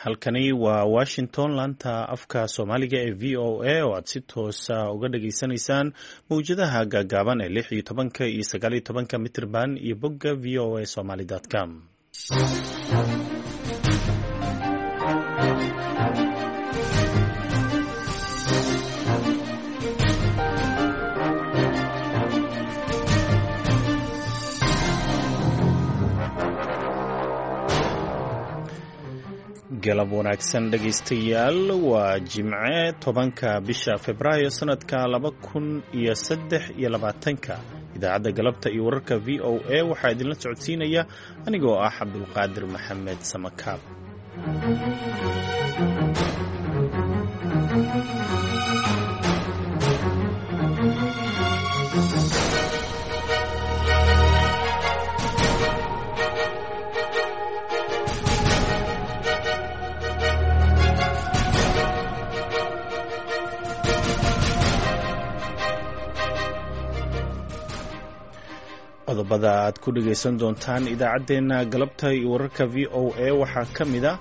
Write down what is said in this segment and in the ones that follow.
Halkani waa Washington, laanta afka Soomaaliga ee VOA, oo aad si toosa uga dhageysanaysaan mawjadaha gaagaaban ee 16-ka iyo 19-ka mitirban iyo bogga voasomali.com. Galab wanaagsan dhegaystayaal, waa Jimce, 10-ka bisha Februaayo sanadka 2023-ka. Idaacadda galabta iyo wararka VOA waxaa idinla socodsiinaya anigoo ah Cabdulqaadir Maxamed Samakaab. Qodobada aad ku dhegaysan doontaan idaacaddeenna galabta iyo wararka VOA waxaa ka mid ah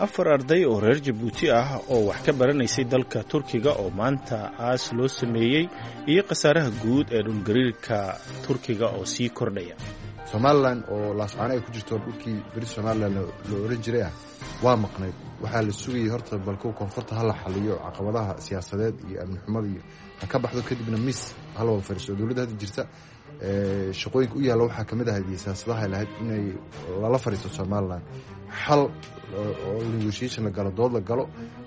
afar arday oo reer Jabuuti ah oo wax ka baranaysay dalka Turkiga oo maanta aas loo sameeyey, iyo khasaaraha guud ee dhulgariirka Turkiga oo sii kordhaya. Somalilan oo laascaano ay ku jirto, dhulkii beri Somalilan la oran jiray ah, waa maqnayd. Waxaa la sugayay horta balkow koonfurta ha la xaliyo caqabadaha siyaasadeed iyo amni xumada iyo ha ka baxdo, kadibna miis hala wada fadhiiso. Dowladda hadda jirta shaqooyinka u yaalla waxaa kamid ahayd iyo siyaasadaha lahayd inay lala fadhiisto Somalilan, xal oo negotiation la galo, dood la galo,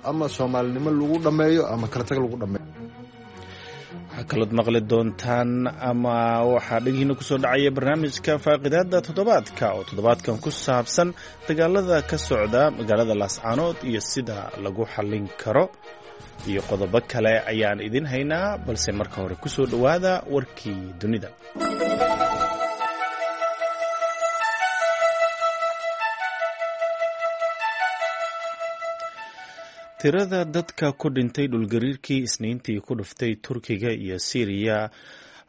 ama soomaalinimo lagu dhammeeyo ama kala tag lagu dhammeeyo. Waxaa kalood maqli doontaan ama waxaa dhegihiina kusoo dhacaya barnaamijka faaqidaada toddobaadka oo toddobaadkan ku saabsan dagaalada ka socda magaalada Laascaanood iyo sida lagu xallin karo, iyo qodobo kale ayaan idin haynaa, balse marka hore kusoo dhowaada warkii dunida. Tirada dadka ku dhintay dhulgariirkii Isniintii ku dhuftay Turkiga iyo Siiriya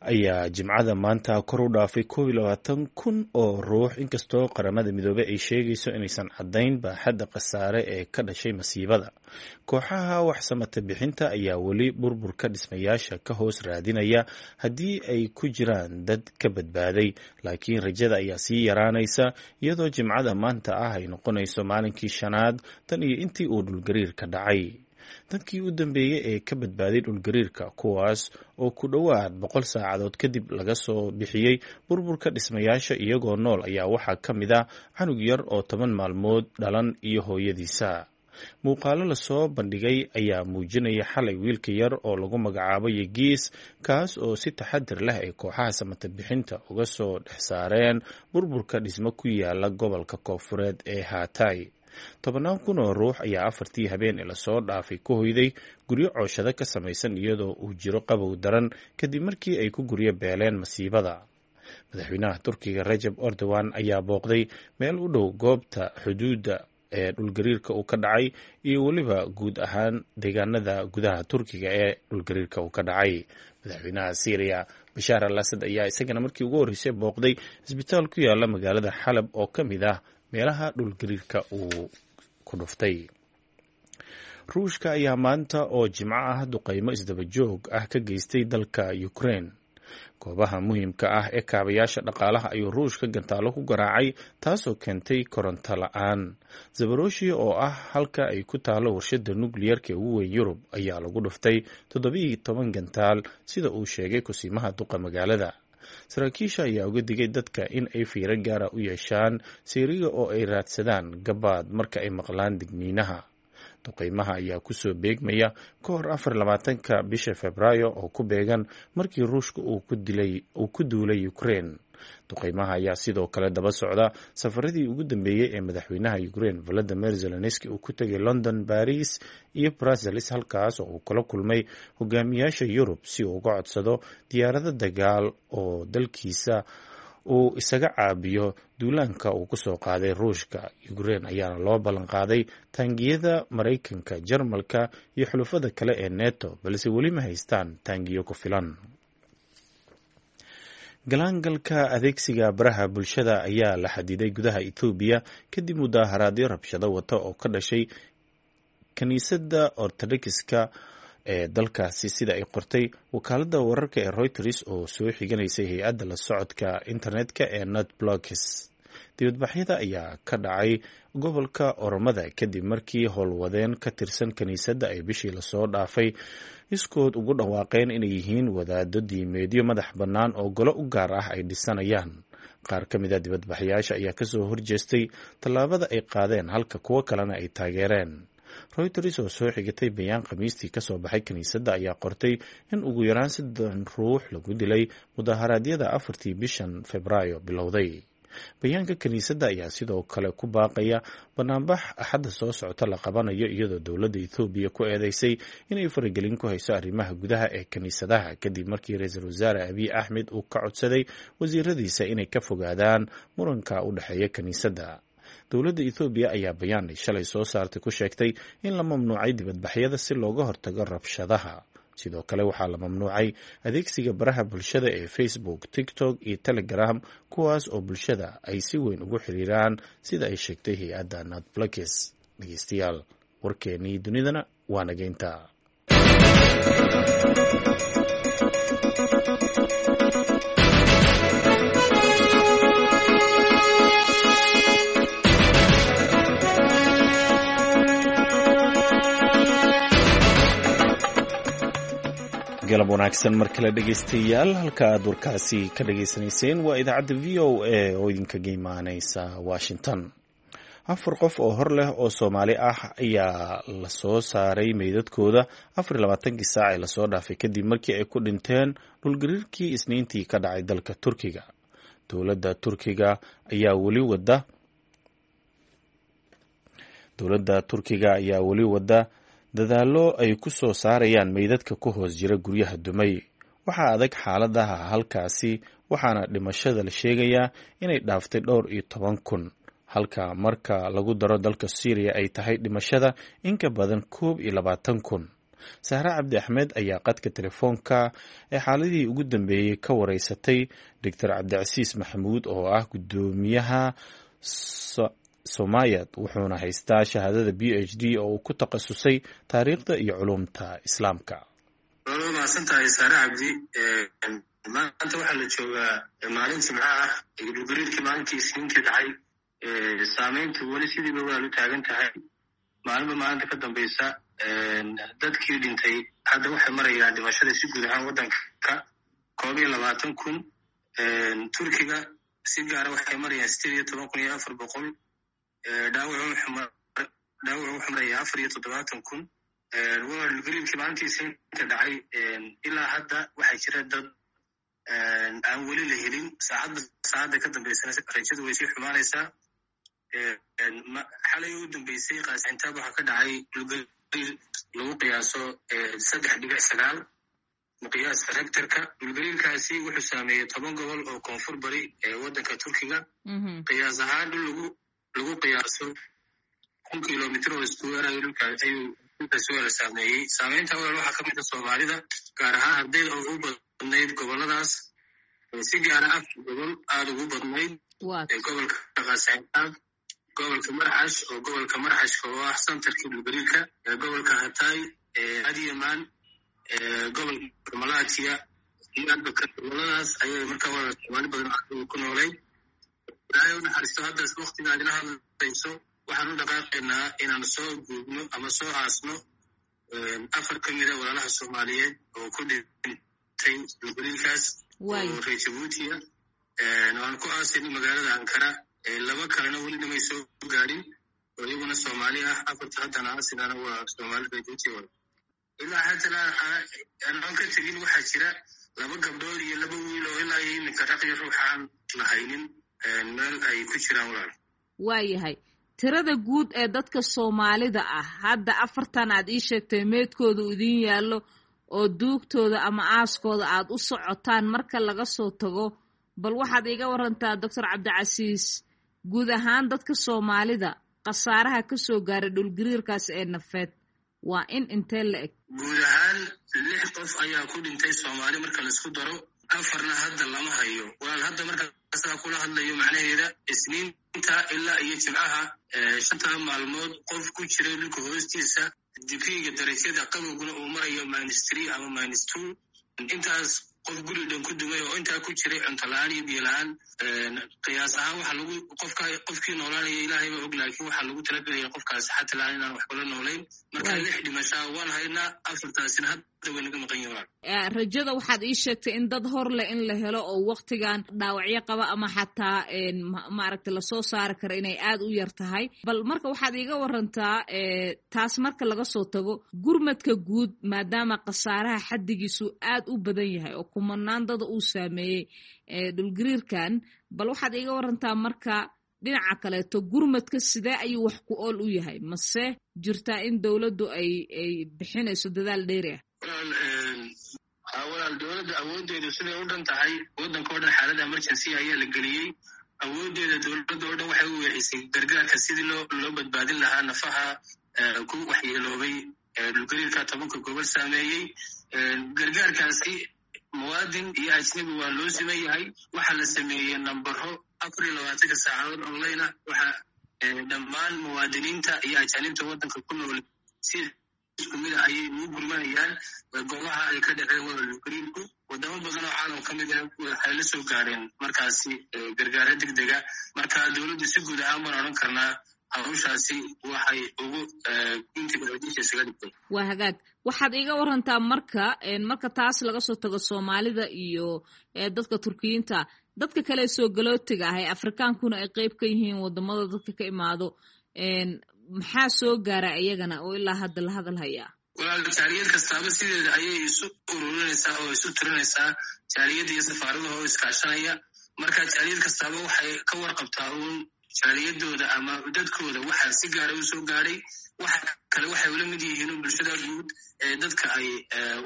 ayaa Jimcada maanta kor u dhaafay 21,000 oo ruux, inkastoo Qaramada Midoobey ay sheegayso inaysan caddayn baaxadda khasaare ee ka dhashay masiibada. Kooxaha wax samata bixinta ayaa weli burburka dhismayaasha ka hoos raadinaya haddii ay ku jiraan dad ka badbaaday, laakiin rajada ayaa sii yaraanaysa iyadoo Jimcada maanta ah ay noqonayso maalinkii shanaad tan iyo intii uu dhulgariirka dhacay. Dadkii u dambeeyey ee ka badbaaday dhulgariirka, kuwaas oo ku dhowaad 100 saacadood kadib laga soo bixiyey burburka dhismayaasha iyagoo nool, ayaa waxaa ka mid ah canug yar oo 10 maalmood dhalan iyo hooyadiisa. Muuqaalo lasoo bandhigay ayaa muujinaya xalay wiilka yar oo lagu magacaabo Yegiis, kaas oo si taxadir leh ay kooxaha samata bixinta uga soo dhex saareen burburka dhismo ku yaala gobolka koonfureed ee Haatay. Tobannaan kun oo ruux ayaa afartii habeen ee lasoo dhaafay ku hoyday guryo cooshado ka samaysan iyadoo uu jiro qabow daran kadib markii ay ku guryo beeleen masiibada. Madaxweynaha Turkiga Rajab Erdogan ayaa booqday meel u dhow goobta xuduudda ee dhulgariirka uu ka dhacay iyo weliba guud ahaan deegaanada gudaha Turkiga ee dhulgariirka uu ka dhacay. Madaxweynaha Syriya Bashaar al Asad ayaa isagana markii ugu horreysay booqday isbitaal ku yaala magaalada Xalab oo ka mid ah meelaha dhulgariirka uu ku dhuftay. Ruushka ayaa maanta oo Jimco ah duqeymo isdaba joog ah ka geystay dalka Ukraine. Goobaha muhiimka ah ee kaabayaasha dhaqaalaha ayuu Ruushka gantaalo ku garaacay, taasoo keentay koronto la-aan. Zabaroshi oo ah halka ay ku taalo warshada nukliyarka ee ugu weyn Yurub ayaa lagu dhuftay 17 gantaal, sida uu sheegay kusiimaha duqa magaalada. Saraakiisha ayaa uga digay dadka in ay fiiro gaara u yeeshaan seeriga oo ay raadsadaan gabaad marka ay maqlaan digniinaha. Duqeymaha ayaa kusoo beegmaya ka hor 24-ka bisha Febraayo oo ku beegan markii Ruushka uu ku duulay Ukraine. Duqeymaha ayaa sidoo kale daba socda safaradii ugu dambeeyey ee madaxweynaha Ukraine Volodymyr Zelenski uu ku tegay London, Paris iyo Brussels, halkaas oo uu kula kulmay hogaamiyaasha Yurub si uu uga codsado diyaarado dagaal oo dalkiisa uu isaga caabiyo duulaanka uu kusoo qaaday Ruushka. Ukraine ayaana loo ballan qaaday taangiyada Maraykanka, Jarmalka iyo xulufada kale ee Neto, balse weli ma haystaan taangiyo ku filan. Galaangalka adeegsiga baraha bulshada ayaa la xadiday gudaha Itoobiya kadib mudaaharaadyo rabshado wata oo ka dhashay kiniisadda Ortodokska ee dalkaasi, sida ay qortay wakaaladda wararka ee Reuters oo soo xiganaysay hay-adda la socodka internetka ee Netblocks. Dibadbaxyada ayaa ka dhacay gobolka Oromada kadib markii howlwadeen ka tirsan kiniisadda ay bishii lasoo dhaafay iskood ugu dhawaaqeen inay yihiin wadaado diimeedyo madax bannaan oo golo u gaar ah ay dhisanayaan. Qaar ka mid a dibadbaxyaasha ayaa kasoo horjeestay tallaabada ay qaadeen, halka kuwo kalena ay taageereen. Reuters oo soo xigatay bayaan Khamiistii kasoo baxay kiniisadda ayaa qortay in ugu yaraan 30 ruux lagu dilay mudaharaadyada 4-tii bishan Febraayo bilowday. Bayaanka kiniisadda ayaa sidoo kale ku baaqaya banaanbax Axadda soo socota la qabanayo, iyadoo dowladda Ethoobiya ku eedeysay inay faragelin ku hayso arrimaha gudaha ee kiniisadaha, kadib markii ra-iisul wasaare Abiy Axmed uu ka codsaday wasiiradiisa inay ka fogaadaan muranka u dhexeeya kiniisadda. Dowladda Ethoobiya ayaa bayaan ay shalay soo saartay ku sheegtay in la mamnuucay dibadbaxyada si looga hortago rabshadaha. Sidoo kale waxaa la mamnuucay adeegsiga baraha bulshada ee Facebook, TikTok iyo Telegram, kuwaas oo bulshada ay si weyn ugu xiriiraan, sida ay sheegtay hay-adda Natblakes. Dhegeystayaal, warkeenii dunidana waa nageynta. Galab wanaagsan mar kale dhegeystayaal, halka aad warkaasi ka dhageysanayseen waa idaacadda VOA oo idinkaga imaaneysa Washington. Afar qof oo hor leh oo Soomaali ah ayaa lasoo saaray meydadkooda 24-kii saac ee lasoo dhaafay, kadib markii ay ku dhinteen dhulgariirkii Isniintii ka dhacay dalka Turkiga. Dowladda Turkiga ayaa weli wada Dowladda Turkiga ayaa weli wada dadaallo ay ku soo saarayaan meydadka ku hoos jira guryaha dumay. Waxaa adag xaaladaha halkaasi, waxaana dhimashada la sheegayaa inay dhaaftay dhowr iyo toban kun, halka marka lagu daro dalka Syriya ay tahay dhimashada in ka badan 21,000. Sahre Cabdi Axmed ayaa qadka telefoonka ee xaaladihii ugu dambeeyey ka wareysatay Doctor Cabdicasiis Maxamuud oo ah guddoomiyaha Somayad, wuxuuna haystaa shahaadada PhD oo uu ku takhasusay taariikhda iyo culumta Islaamka. Waad mahadsantahay, Saare Cabdi. Maanta waxaa la joogaa maalin Jimco ah. Dhulgariirkii maalintii Isniintii dhacay saameyntu weli sidiiba waa lu taagan tahay. Maalinba maalinta ka dambaysa dadkii dhintay hadda waxay marayaan dhimashada si guud ahaan waddanka 21,000. Turkiga si gaara waxay marayaan 18,400. Dhaawacu wuxuu marayaa 74,000. Waa dhulgariirkii maalintii Isniinta dhacay. Ilaa hadda waxaa jira dad aan weli la helin. Saacadba saacadda ka dambaysana rajadu way sii xumaanaysaa. Xalay u dambeysay Qaasintaab waxaa ka dhacay dhulgariir lagu qiyaaso 3.9 miqyaaska Richterka. Dhulgariirkaasi wuxuu saameeyey 10 gobol oo koonfur bari ee waddanka Turkiga. Qiyaas ahaan dhul lagu qiyaaso 1000 kilomitr oo square ayuu dhulkaasi wala saameeyey. Saameynta walaal waxaa ka mid a Soomaalida, gaar ahaan ardayda oo ugu badnayd goboladaas, si gaara afar gobol aada ugu badnayd: gobolka Qaasintaab, gobolka Marxash oo gobolka Marxashka oo ah santarkii dhulgariirka, gobolka Hatay, Adyaman, gobolka Malatiya iyo Arbakar. Goboladaas ayay markaa walaal Soomaali badan ku noolay. Ilaahay u naxariisto. Haddaas waktiga aad ila hadlayso waxaan u dhaqaaqaynaa inaan soo guubno ama soo aasno afar ka mida walaalaha Soomaaliyeed oo ku dhintay dhulgariirkaas oo reer Jabuutiya. Waan ku aasayno magaalada Ankara. Laba kalena weli namay soo gaadhin oo iyaguna Soomaali ah. Afarta haddana aasinana waa Soomaali reer Jabuuti. Ilaa haddana anaan ka tegin waxaa jira laba gabdhood iyo laba wiil oo ilaa iyo iminka raqyo ruuxaan lahaynin meel ay ku jiraan, walaal. Waayahay, tirada guud ee dadka Soomaalida ah hadda afartan aad ii sheegtay meedkooda idiin yaallo oo duugtooda ama aaskooda aad u socotaan marka laga soo tago, bal waxaad iiga warantaa, Doctor Cabdicasiis, guud ahaan dadka Soomaalida khasaaraha ka soo gaaray dhulgariirkaas ee nafeed waa in intee la eg? Guud ahaan lix qof ayaa ku dhintay Soomaali marka laisku daro. Afarna hadda lama hayo walaal. Hadda markaasaa kula hadlayo, macnaheeda Isniinta ilaa iyo Jimcaha, 5ta maalmood qof ku jiray dhulka hoostiisa, degreega darajada qabowguna uu marayo -3 ama -2, intaas qof guri dhan ku dumay oo intaa ku jiray cunto la-aan iyo biyo la-aan, qiyaas ahaan waxaa lagu qofka qofkii noolaanaya Ilaahay baa og, laakiin waxaa lagu talagelaya qofkaasi xata la-aan inaan wax kula noolayn. Marka lix dhimashaa waan haynaa, afartaasina hadda way naga maqan yihiin. Rajada waxaad ii sheegtay in dad hor leh in la helo oo waktigan dhaawacyo qaba ama xataa maaragta lasoo saari karo inay aad u yar tahay. Bal marka waxaad iiga warantaa taas, marka laga soo tago gurmadka guud, maadaama khasaaraha xaddigiisu aad u badan yahay oo kumanaan dada uu saameeyey dhulgariirkan, bal waxaad iiga warantaa marka dhinaca kaleeto gurmadka sidee ayuu wax ku ool u yahay? Mase jirtaa in dowladdu ay bixinayso dadaal dheeri ah? Walaal, dowladda awooddeedu siday u dhan tahay, waddanka o dhan xaalada emergency ayaa la geliyey. Awooddeeda dowladda oo dhan waxay u weecisay gargaarka sidii loo badbaadin lahaa nafaha ku waxyeeloobay dhulgariirka 10ka gobol saameeyey. Gargaarkaasi muwaadin iyo ajnabi waa loo siman yahay. Waxaa la sameeyey nambaro 24ka saacadood online ah. Waxaa dhammaan muwaadiniinta iyo ajaanibta waddanka ku nool si isku mid a ayay ugu gurmanayaan goobaha ay ka dhaceen wada dhulgariirku. Wadamo badan oo caalam ka mid ah waxay la soo gaareen markaasi gargaaro degdega. Marka dowladdu si guud ahaan baan odhan karnaa hawshaasi waxay ugu guntiga isaga dhigtay. Waa hagaag. Waxaad iiga warantaa marka taas laga soo tago Soomaalida iyo dadka Turkiyiinta, dadka kale soo galootiga ah ee Afrikaankuna ay qeyb ka yihiin, wadamada dadka ka imaado, maxaa soo gaara iyagana oo ilaa hadda la hadal hayaa? Walaal, jaaliyad kastaaba sideeda ayay isu ururinaysaa oo isu tirinaysaa, jaaliyadda iyo safaaradaha oo iskaashanaya. Marka jaaliyad kastaaba waxay ka warqabtaa uun jaaliyadooda ama dadkooda waxaa si gaara u soo gaadhay. Waxa kale waxay ula mid yihiin bulshada guud ee dadka ay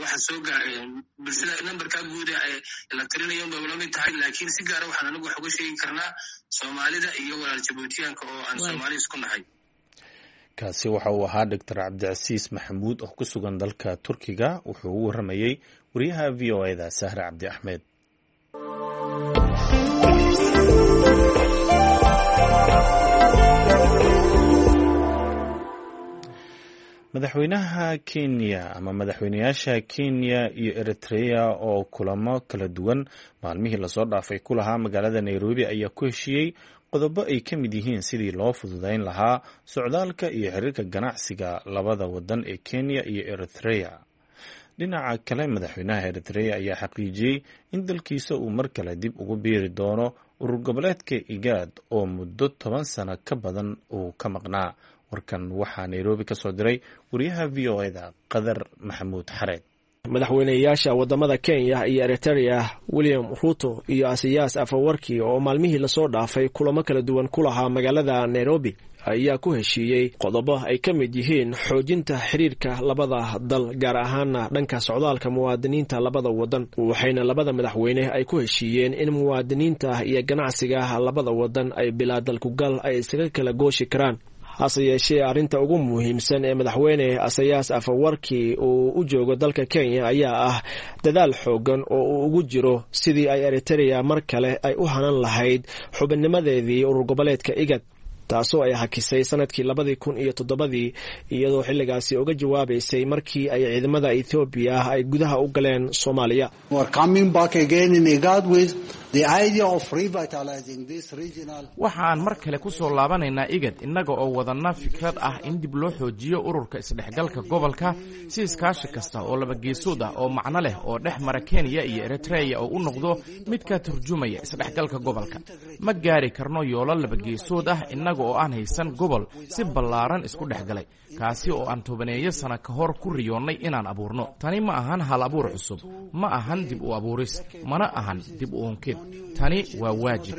waxa soo gaareen, bulshada nambarka guud ee la tirinayo bay ula mid tahay, laakiin si gaara waxaan anigu wax uga sheegi karnaa Soomaalida iyo walaal Jabuutiyaanka oo aan Soomaali isku nahay. Kaasi waxa uu ahaa Doctor Cabdicasiis Maxamuud oo ku sugan dalka Turkiga. Wuxuu u waramayey wariyaha VOA-da Sahre Cabdi Axmed. Madaxweynaha Kenya ama madaxweynayaasha Kenya iyo Eritrea oo kulamo kala duwan maalmihii lasoo dhaafay ku lahaa magaalada Nairobi ayaa ku heshiiyey qodobo ay ka mid yihiin sidii loo fududeyn lahaa socdaalka iyo xiriirka ganacsiga labada wadan ee Kenya iyo Eritrea. Dhinaca kale, madaxweynaha Eritrea ayaa xaqiijiyey in dalkiisa uu mar kale dib ugu biiri doono urur goboleedka IGAD oo muddo 10 sano ka badan uu ka maqnaa. Warkan waxaa Nairobi ka soo diray wariyaha VOA-da Qadar Maxamuud Xareed. Madaxweyneyaasha wadamada Kenya iyo Eritrea, William Ruto iyo Asiyaas Afawarki, oo maalmihii lasoo dhaafay kulamo kala duwan ku lahaa magaalada Nairobi, ayaa ku heshiiyey qodobo ay ka mid yihiin xoojinta xiriirka labada dal, gaar ahaana dhanka socdaalka muwaadiniinta labada wadan. Waxayna labada madaxweyne ay ku heshiiyeen in muwaadiniinta iyo ganacsiga labada wadan ay bilaa dalkugal ay isaga kala gooshi karaan. Hase yeeshee, arrinta ugu muhiimsan ee madaxweyne Asayaas Afawarki uu u joogo dalka Kenya ayaa ah dadaal xoogan oo uu ugu jiro sidii ay Eritrea mar kale ay u hanan lahayd xubinnimadeedii urur goboleedka IGAD, taasoo ay hakisay sanadkii 2007dii, iyadoo xilligaasi uga jawaabaysay markii ay ciidamada Ethoobiya ay gudaha u galeen Soomaaliya. Waxaan mar kale ku soo laabanaynaa IGAD innaga oo wadanna fikrad ah in dib loo xoojiyo ururka isdhexgalka gobolka, si iskaashi kasta oo labageesood ah oo macno leh oo dhex mara Kenya iyo Eritreya oo u noqdo mid ka turjumaya isdhexgalka gobolka. Ma gaari karno yoolo labageesood ah innaga oo aan haysan gobol si ballaaran isku dhex galay, kaasi oo aan tobaneeyo sana ka hor ku riyoonnay inaan abuurno. Tani ma ahan hal abuur cusub, ma ahan dib u abuuris, mana ahan dib u unkid. Tani waa waajib.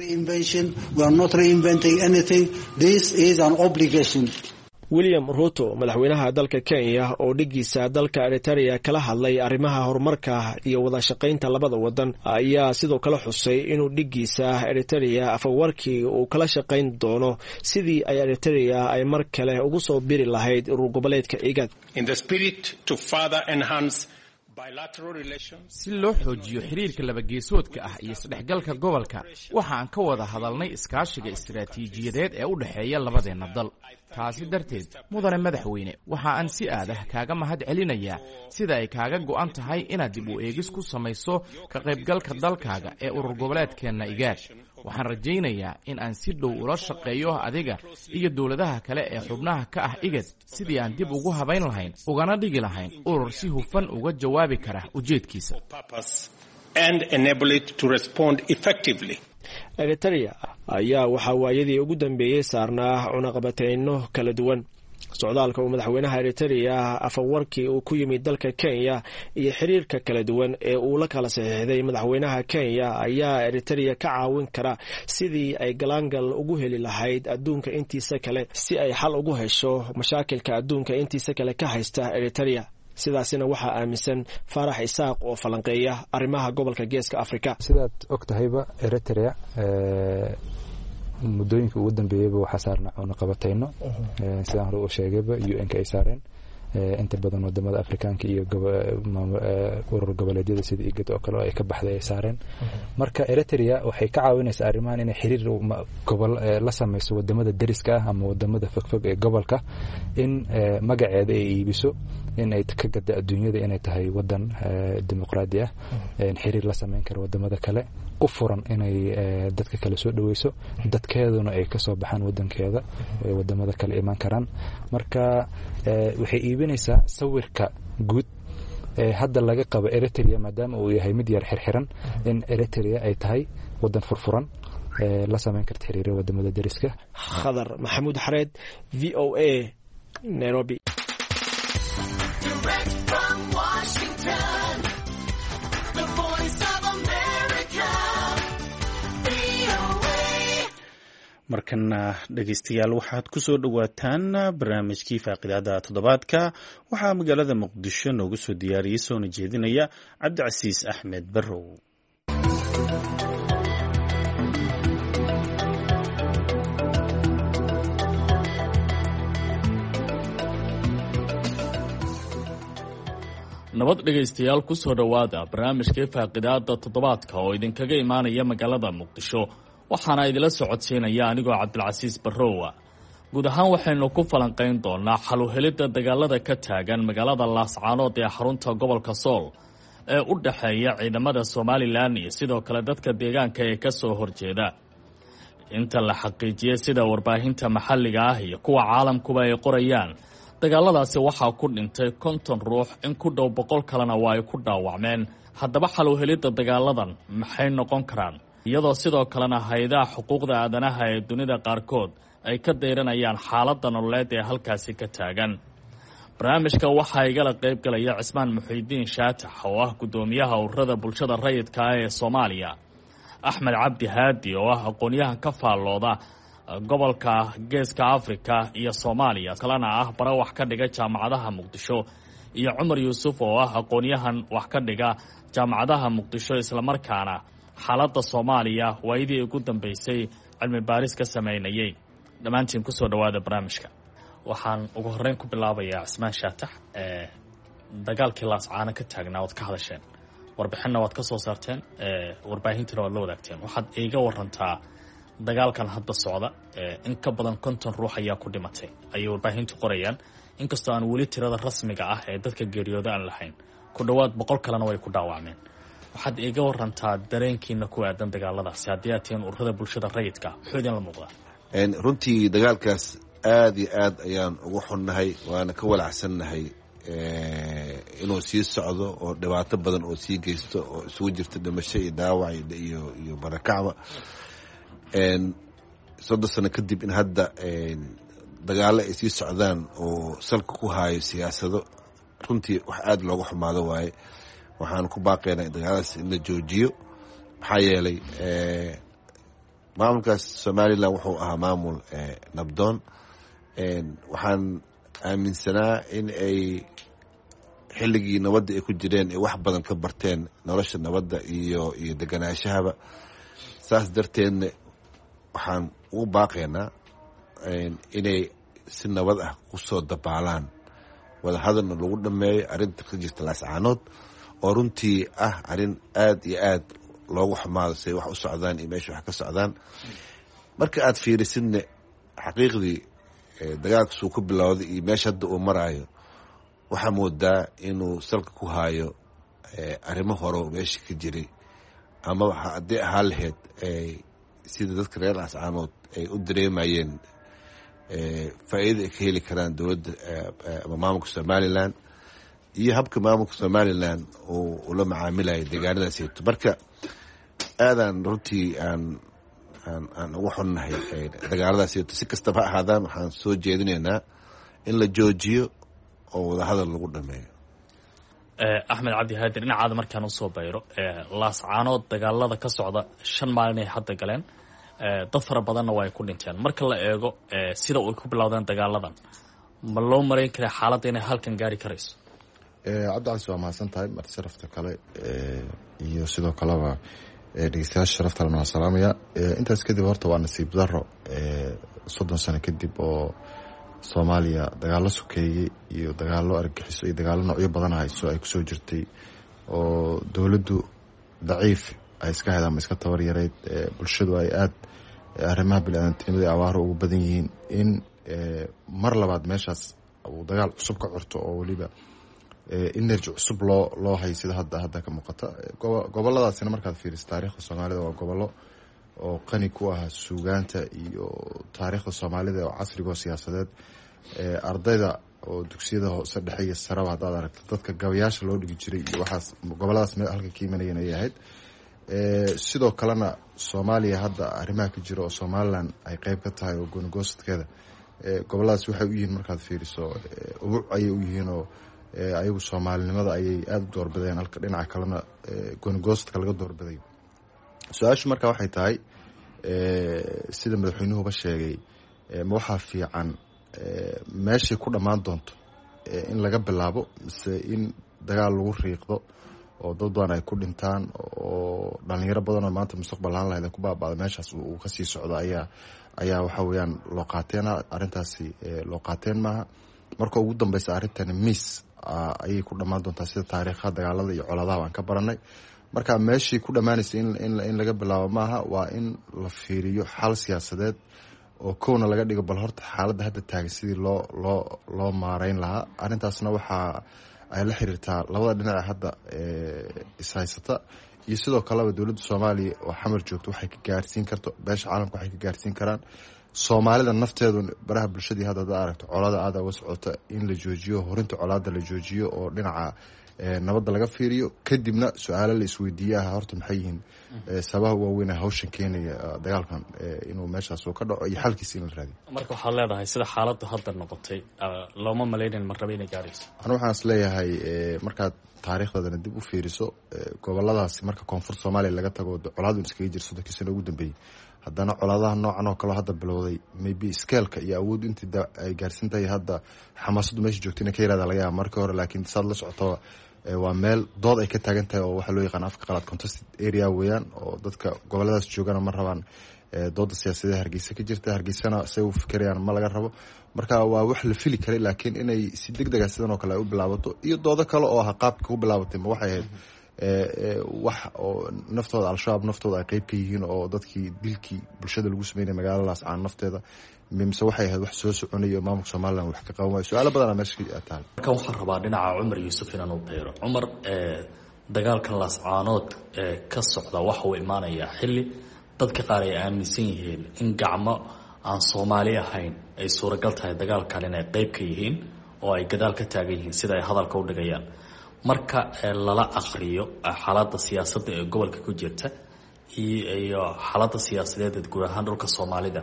William Ruto, madaxweynaha dalka Kenya, oo dhigiisa dalka Eritrea kala hadlay arrimaha horumarka iyo wada shaqaynta labada wadan, ayaa sidoo kale xusay inuu dhigiisa Eritrea Afawarkii uu kala shaqayn doono sidii ay Eritrea ay mar kale ugu soo biri lahayd urur goboleedka IGAD. Si loo xoojiyo xiriirka labageesoodka ah iyo isdhexgalka gobolka, waxa aan ka wada hadalnay iskaashiga istaraatiijiyadeed ee u dhexeeya labadeenna dal. Taasi darteed, mudane madaxweyne, waxa aan si aadah kaaga mahad celinayaa sida ay kaaga go'an tahay inaad dib u eegis ku samayso ka qaybgalka dalkaaga ee urur goboleedkeenna IGAAD. Waxaan rajaynayaa in aan si dhow ula shaqeeyo adiga iyo dowladaha kale ee xubnaha ka ah IGAD sidii aan dib ugu habayn lahayn ugana dhigi lahayn urur si hufan uga jawaabi kara ujeedkiisa. Eritrea ayaa waxaa waayadii ugu dambeeyey saarnaa cunaqabateyno kala duwan. Socdaalka uu madaxweynaha Eritrea afawarkii uu ku yimid dalka Kenya iyo xiriirka kala duwan ee uu la kala saxiixday madaxweynaha Kenya ayaa Eritrea ka caawin kara sidii ay galaangal ugu heli lahayd adduunka intiisa kale, si ay xal ugu hesho mashaakilka adduunka intiisa kale ka haysta Eritrea. Sidaasina waxaa aaminsan Faarax Isaaq oo falanqeeya arrimaha gobolka Geeska Afrika. Sidaad og tahayba, Eritrea muddooyinka ugu dambeeyeyba waxaa saarna cunaqabateyno, sidaan hore u sheegayba UN-ka ay saareen inta badan wadamada Afrikaanka iyo urur goboleedyada sida IGAD oo kale oo ay ka baxday ay saareen. Marka Eritrea waxay ka caawinaysaa arrimahan inay xiriir gobol la sameyso wadamada deriska ah ama wadamada fogfog ee gobolka, in magaceeda ay iibiso, in ay ka gada adduunyada inay tahay wadan dimuqraadi ah, xiriir la sameyn kara wadamada kale, u furan inay dadka kale soo dhaweyso, dadkeeduna ay kasoo baxaan wadankeeda ay wadamada kale imaan karaan. Marka waxay iibinaysaa sawirka guud ee hadda laga qabo Eritrea, maadaama uu yahay mid yar xirxiran, in Eritrea ay tahay wadan furfuran la sameyn karta xiriira wadamada deriska. Khadar Maxamuud Xareed, VOA, Nairobi. Markana dhegeystayaal, waxaad ku soo dhowaataan barnaamijkii faaqidaada toddobaadka. Waxaa magaalada Muqdisho noogu soo diyaariyey soona jeedinaya Cabdicasiis Axmed Barrow. Nabad dhegaystayaal, ku soo dhowaada barnaamijkii faaqidaada toddobaadka oo idinkaga imaanaya magaalada Muqdisho, waxaana idila socodsiinaya anigoo Cabdilcasiis Barrowa. Guud ahaan waxaynu ku falanqayn doonaa xaluhelidda dagaalada ka taagan magaalada Laascaanood ee xarunta gobolka Sool ee u dhexeeya ciidamada Somalilan iyo sidoo kale dadka deegaanka ee ka soo horjeeda. Inta la xaqiijiyey sida warbaahinta maxalliga ah iyo kuwa caalamkuba ay qorayaan, dagaaladaasi waxaa ku dhintay 50 ruux, in ku dhow 100 kalena waa ay ku dhaawacmeen. Haddaba xaluhelidda dagaaladan maxay noqon karaan, iyadoo sidoo kalena hay-adaha xuquuqda aadanaha ee dunida qaarkood ay ka dayranayaan xaaladda nololeed ee halkaasi ka taagan? Barnaamijka waxaa igala qayb galaya Cismaan Muxiidiin Shaatax oo ah guddoomiyaha ururada bulshada rayidka ah ee Soomaaliya, Axmed Cabdi Haadi oo ah aqoon-yahan ka faallooda gobolka Geeska Afrika iyo Soomaaliya, kalena ah bara wax ka dhiga jaamacadaha Muqdisho, iyo Cumar Yuusuf oo ah aqoon-yahan wax ka dhiga jaamacadaha Muqdisho, islamarkaana xaaladda Soomaaliya waayadii ugu dambeysay cilmi baaris ka sameynayay. Dhammaantiin kusoo dhowaada barnaamijka. Waxaan ugu horreyn ku bilaabayaa Cismaan Shaatax. Dagaalkii Laascaano ka taagnaa waad ka hadasheen, warbixinna waad ka soo saarteen, warbaahintana waad la wadaagteen. Waxaad iiga warantaa dagaalkan hadda socda, in ka badan 50 ruux ayaa ku dhimatay ayay warbaahintu qorayaan, inkastoo aan weli tirada rasmiga ah ee dadka geeriyooda aan lahayn, ku dhowaad 100 kalena way ku dhaawacmeen. Waxaad iiga warantaa dareenkiina ku aadan dagaaladaasi haddii aad tihiin ururada bulshada rayidka, muxuu idinla muuqdaa? Runtii dagaalkaas aada iyo aad ayaan ugu xunnahay, waana ka walacsannahay inuu sii socdo oo dhibaato badan oo sii geysto oo isugu jirta dhimasho iyo dhaawac iyo barakacba. 30 sano kadib in hadda dagaallo ay sii socdaan oo salka ku haayo siyaasado, runtii wax aada looga xumaado waaye. Waxaan ku baaqaynaa in dagaaladaas in la joojiyo, maxaa yeelay maamulkaas Somalilan wuxuu ahaa maamul nabdoon. Waxaan aaminsanaa in ay xilligii nabadda ay ku jireen ay wax badan ka barteen nolosha nabadda iyo deganaashahaba. Saas darteedna waxaan ugu baaqaynaa inay si nabad ah ku soo dabaalaan, wadahadalna lagu dhammeeyo arrinta ka jirta Laascaanood Oo runtii ah arrin aada iyo aada loogu xumaado say wax u socdaan iyo meesha wax ka socdaan. Marka aada fiirisidna xaqiiqdii dagaalkasuu ku bilowday iyo meesha hadda uu maraayo, waxaa moodaa inuu salka ku haayo arrimo hore oo meesha ka jiray, ama haddii ahaa lahayd sida dadka reer Laascaanood ay u dareemayeen faa'iida ay ka heli karaan dowladda ama maamulka Somaliland iyo habka maamulka Somaliland uu ula macaamilayo deegaanadaasito. Marka aadaan runtii aan ugu xunnahay dagaaladaasito. Si kastaba ha ahaadaan, waxaan soo jeedinaynaa in la joojiyo oo wadahadal lagu dhameeyo. Axmed Cabdi Haadir, dhinacaada markaan usoo bayro, Laascaanood dagaalada ka socda 5 maalin ay hadda galeen, dad fara badanna waa ay ku dhinteen. Marka la eego sida ay ku bilowdeen dagaaladan, ma loo marayn karaa xaaladda inay halkan gaari karayso? Cabdicasiis, waa mahadsan tahay. Marti sharafta kale iyo sidoo kaleba dhegeystayaasha sharafta lena waa salaamaya. Intaas kadib, horta waa nasiib daro 30 sano kadib oo Soomaaliya dagaallo sokeeyey iyo dagaallo argagixiso iyo dagaallo noocyo badan hayso ay kusoo jirtay, oo dowladdu daciif ay iska hayd ama iska tabar yareyd, bulshadu ay aada arrimaha bini-aadantinimada abaaro ugu badan yihiin, in mar labaad meeshaas uu dagaal cusub ka curto oo weliba energy cusub loo hayo sida hadda ka muuqata. Goboladaasina markaad fiiriso taariikhda Soomaalida, waa gobollo oo qani ku ah suugaanta iyo taariikhda Soomaalida oo casriga oo siyaasadeed. Ardayda oo dugsiyada hoose, dhexe iyo saraba haddaad aragto, dadka gabayaasha loo dhigi jiray iyo waxaas goboladaas halka ka imanayeen ayay ahayd. Sidoo kalena Soomaaliya hadda arrimaha ka jira oo Somaliland ay qeyb ka tahay oo goonigoostkeeda, goboladaas waxay u yihiin markaad fiiriso ubuc ayay u yihiin, oo ayagu soomaalinimada ayay aada u doorbideen, halka dhinaca kalena goonigoostka laga doorbiday. Su-aashu marka waxay tahay, sida madaxweynuhuba sheegay, ma waxaa fiican meeshay ku dhammaan doonto in laga bilaabo, mise in dagaal lagu riiqdo oo dad badan ay ku dhintaan oo dhalinyaro badan oo maanta mustaqbal lahaan lahayd ay ku baaba'da meeshaas uu kasii socdo ayaa waxa weeyaan loo qaateena? Arrintaasi loo qaateen maaha. Marka ugu dambeysa arrintani miis ayay ku dhammaan doontaa, sida taariikha dagaalada iyo colaadaha aan ka baranay. Marka meeshii ku dhammaanaysa in laga bilaabo maaha, waa in la fiiriyo xal siyaasadeed oo kowna laga dhigo bal horta xaaladda hadda taagan sidii loo maareyn lahaa. Arrintaasna waxaa ay la xiriirtaa labada dhinac ee hadda ishaysata iyo sidoo kaleba dowladda Soomaaliya oo Xamar joogto waxay ka gaarsiin karto, beesha caalamka waxay ka gaarsiin karaan, Soomaalida nafteedu baraha bulshadii hadda hadda aragto colaada aada uga socota, in la joojiyo horinta colaada, la joojiyo oo dhinaca nabadda laga fiiriyo. Kadibna su-aalo la isweydiiye ah horta maxay yihiin sabaha waaweyn ee hawshan keenaya dagaalkan inuu meeshaas uu ka dhaco iyo xalkiisa in la raadiyo. Marka waxaad leedahay sida xaaladdu hadda noqotay looma malaynayn marnaba inay gaarayso? Anu waxaan is leeyahay, markaad taariikhdadana dib u fiiriso, goboladaasi marka koonfur Soomaaliya laga tago colaadu iskaga jira 30kii sano ugu dambeeyey, haddana colaadaha noocan oo kaleo hadda bilowday, maybe scale-ka iyo awooddu intii ay gaarsiin tahay hadda xamaasaddu meesha joogta inay ka yaraada laga yaaba markii hore. Laakiin saad la socoto, waa meel dood ay ka taagan tahay oo waxaa loo yaqaan afka qalaad contested area weeyaan, oo dadka goboladaas joogana ma rabaan dooda siyaasadeed Hargeysa ka jirta, Hargeysana say u fikirayaan ma laga rabo. Marka waa wax la fili karay, laakiin inay si deg dega sidan oo kale ay u bilaabato iyo doodo kale oo ah qaabka ku bilaabatay, ma waxay ahayd wax oo naftooda Al-Shabaab naftooda ay qeyb ka yihiin oo dadkii dilkii bulshada lagu sameynaya magaalada Laascaan nafteeda, mise waxay ahayd wax soo soconaya oo maamulka Somaliland wax ka qaban waayo? Su-aalo badanaa meesha ka taal. Marka waxaan rabaa dhinaca Cumar Yuusuf inaan u beero. Cumar, dagaalkan Laascaanood ka socda waxa uu imaanayaa xilli dadka qaar ay aaminsan yihiin in gacmo aan Soomaali ahayn ay suuragal tahay dagaalkan inay qeyb ka yihiin oo ay gadaal ka taagan yihiin, sida ay hadalka u dhigayaan. Marka lala akriyo xaaladda siyaasadda ee gobolka ku jirta iyo xaaladda siyaasadeed ee guud ahaan dhulka Soomaalida,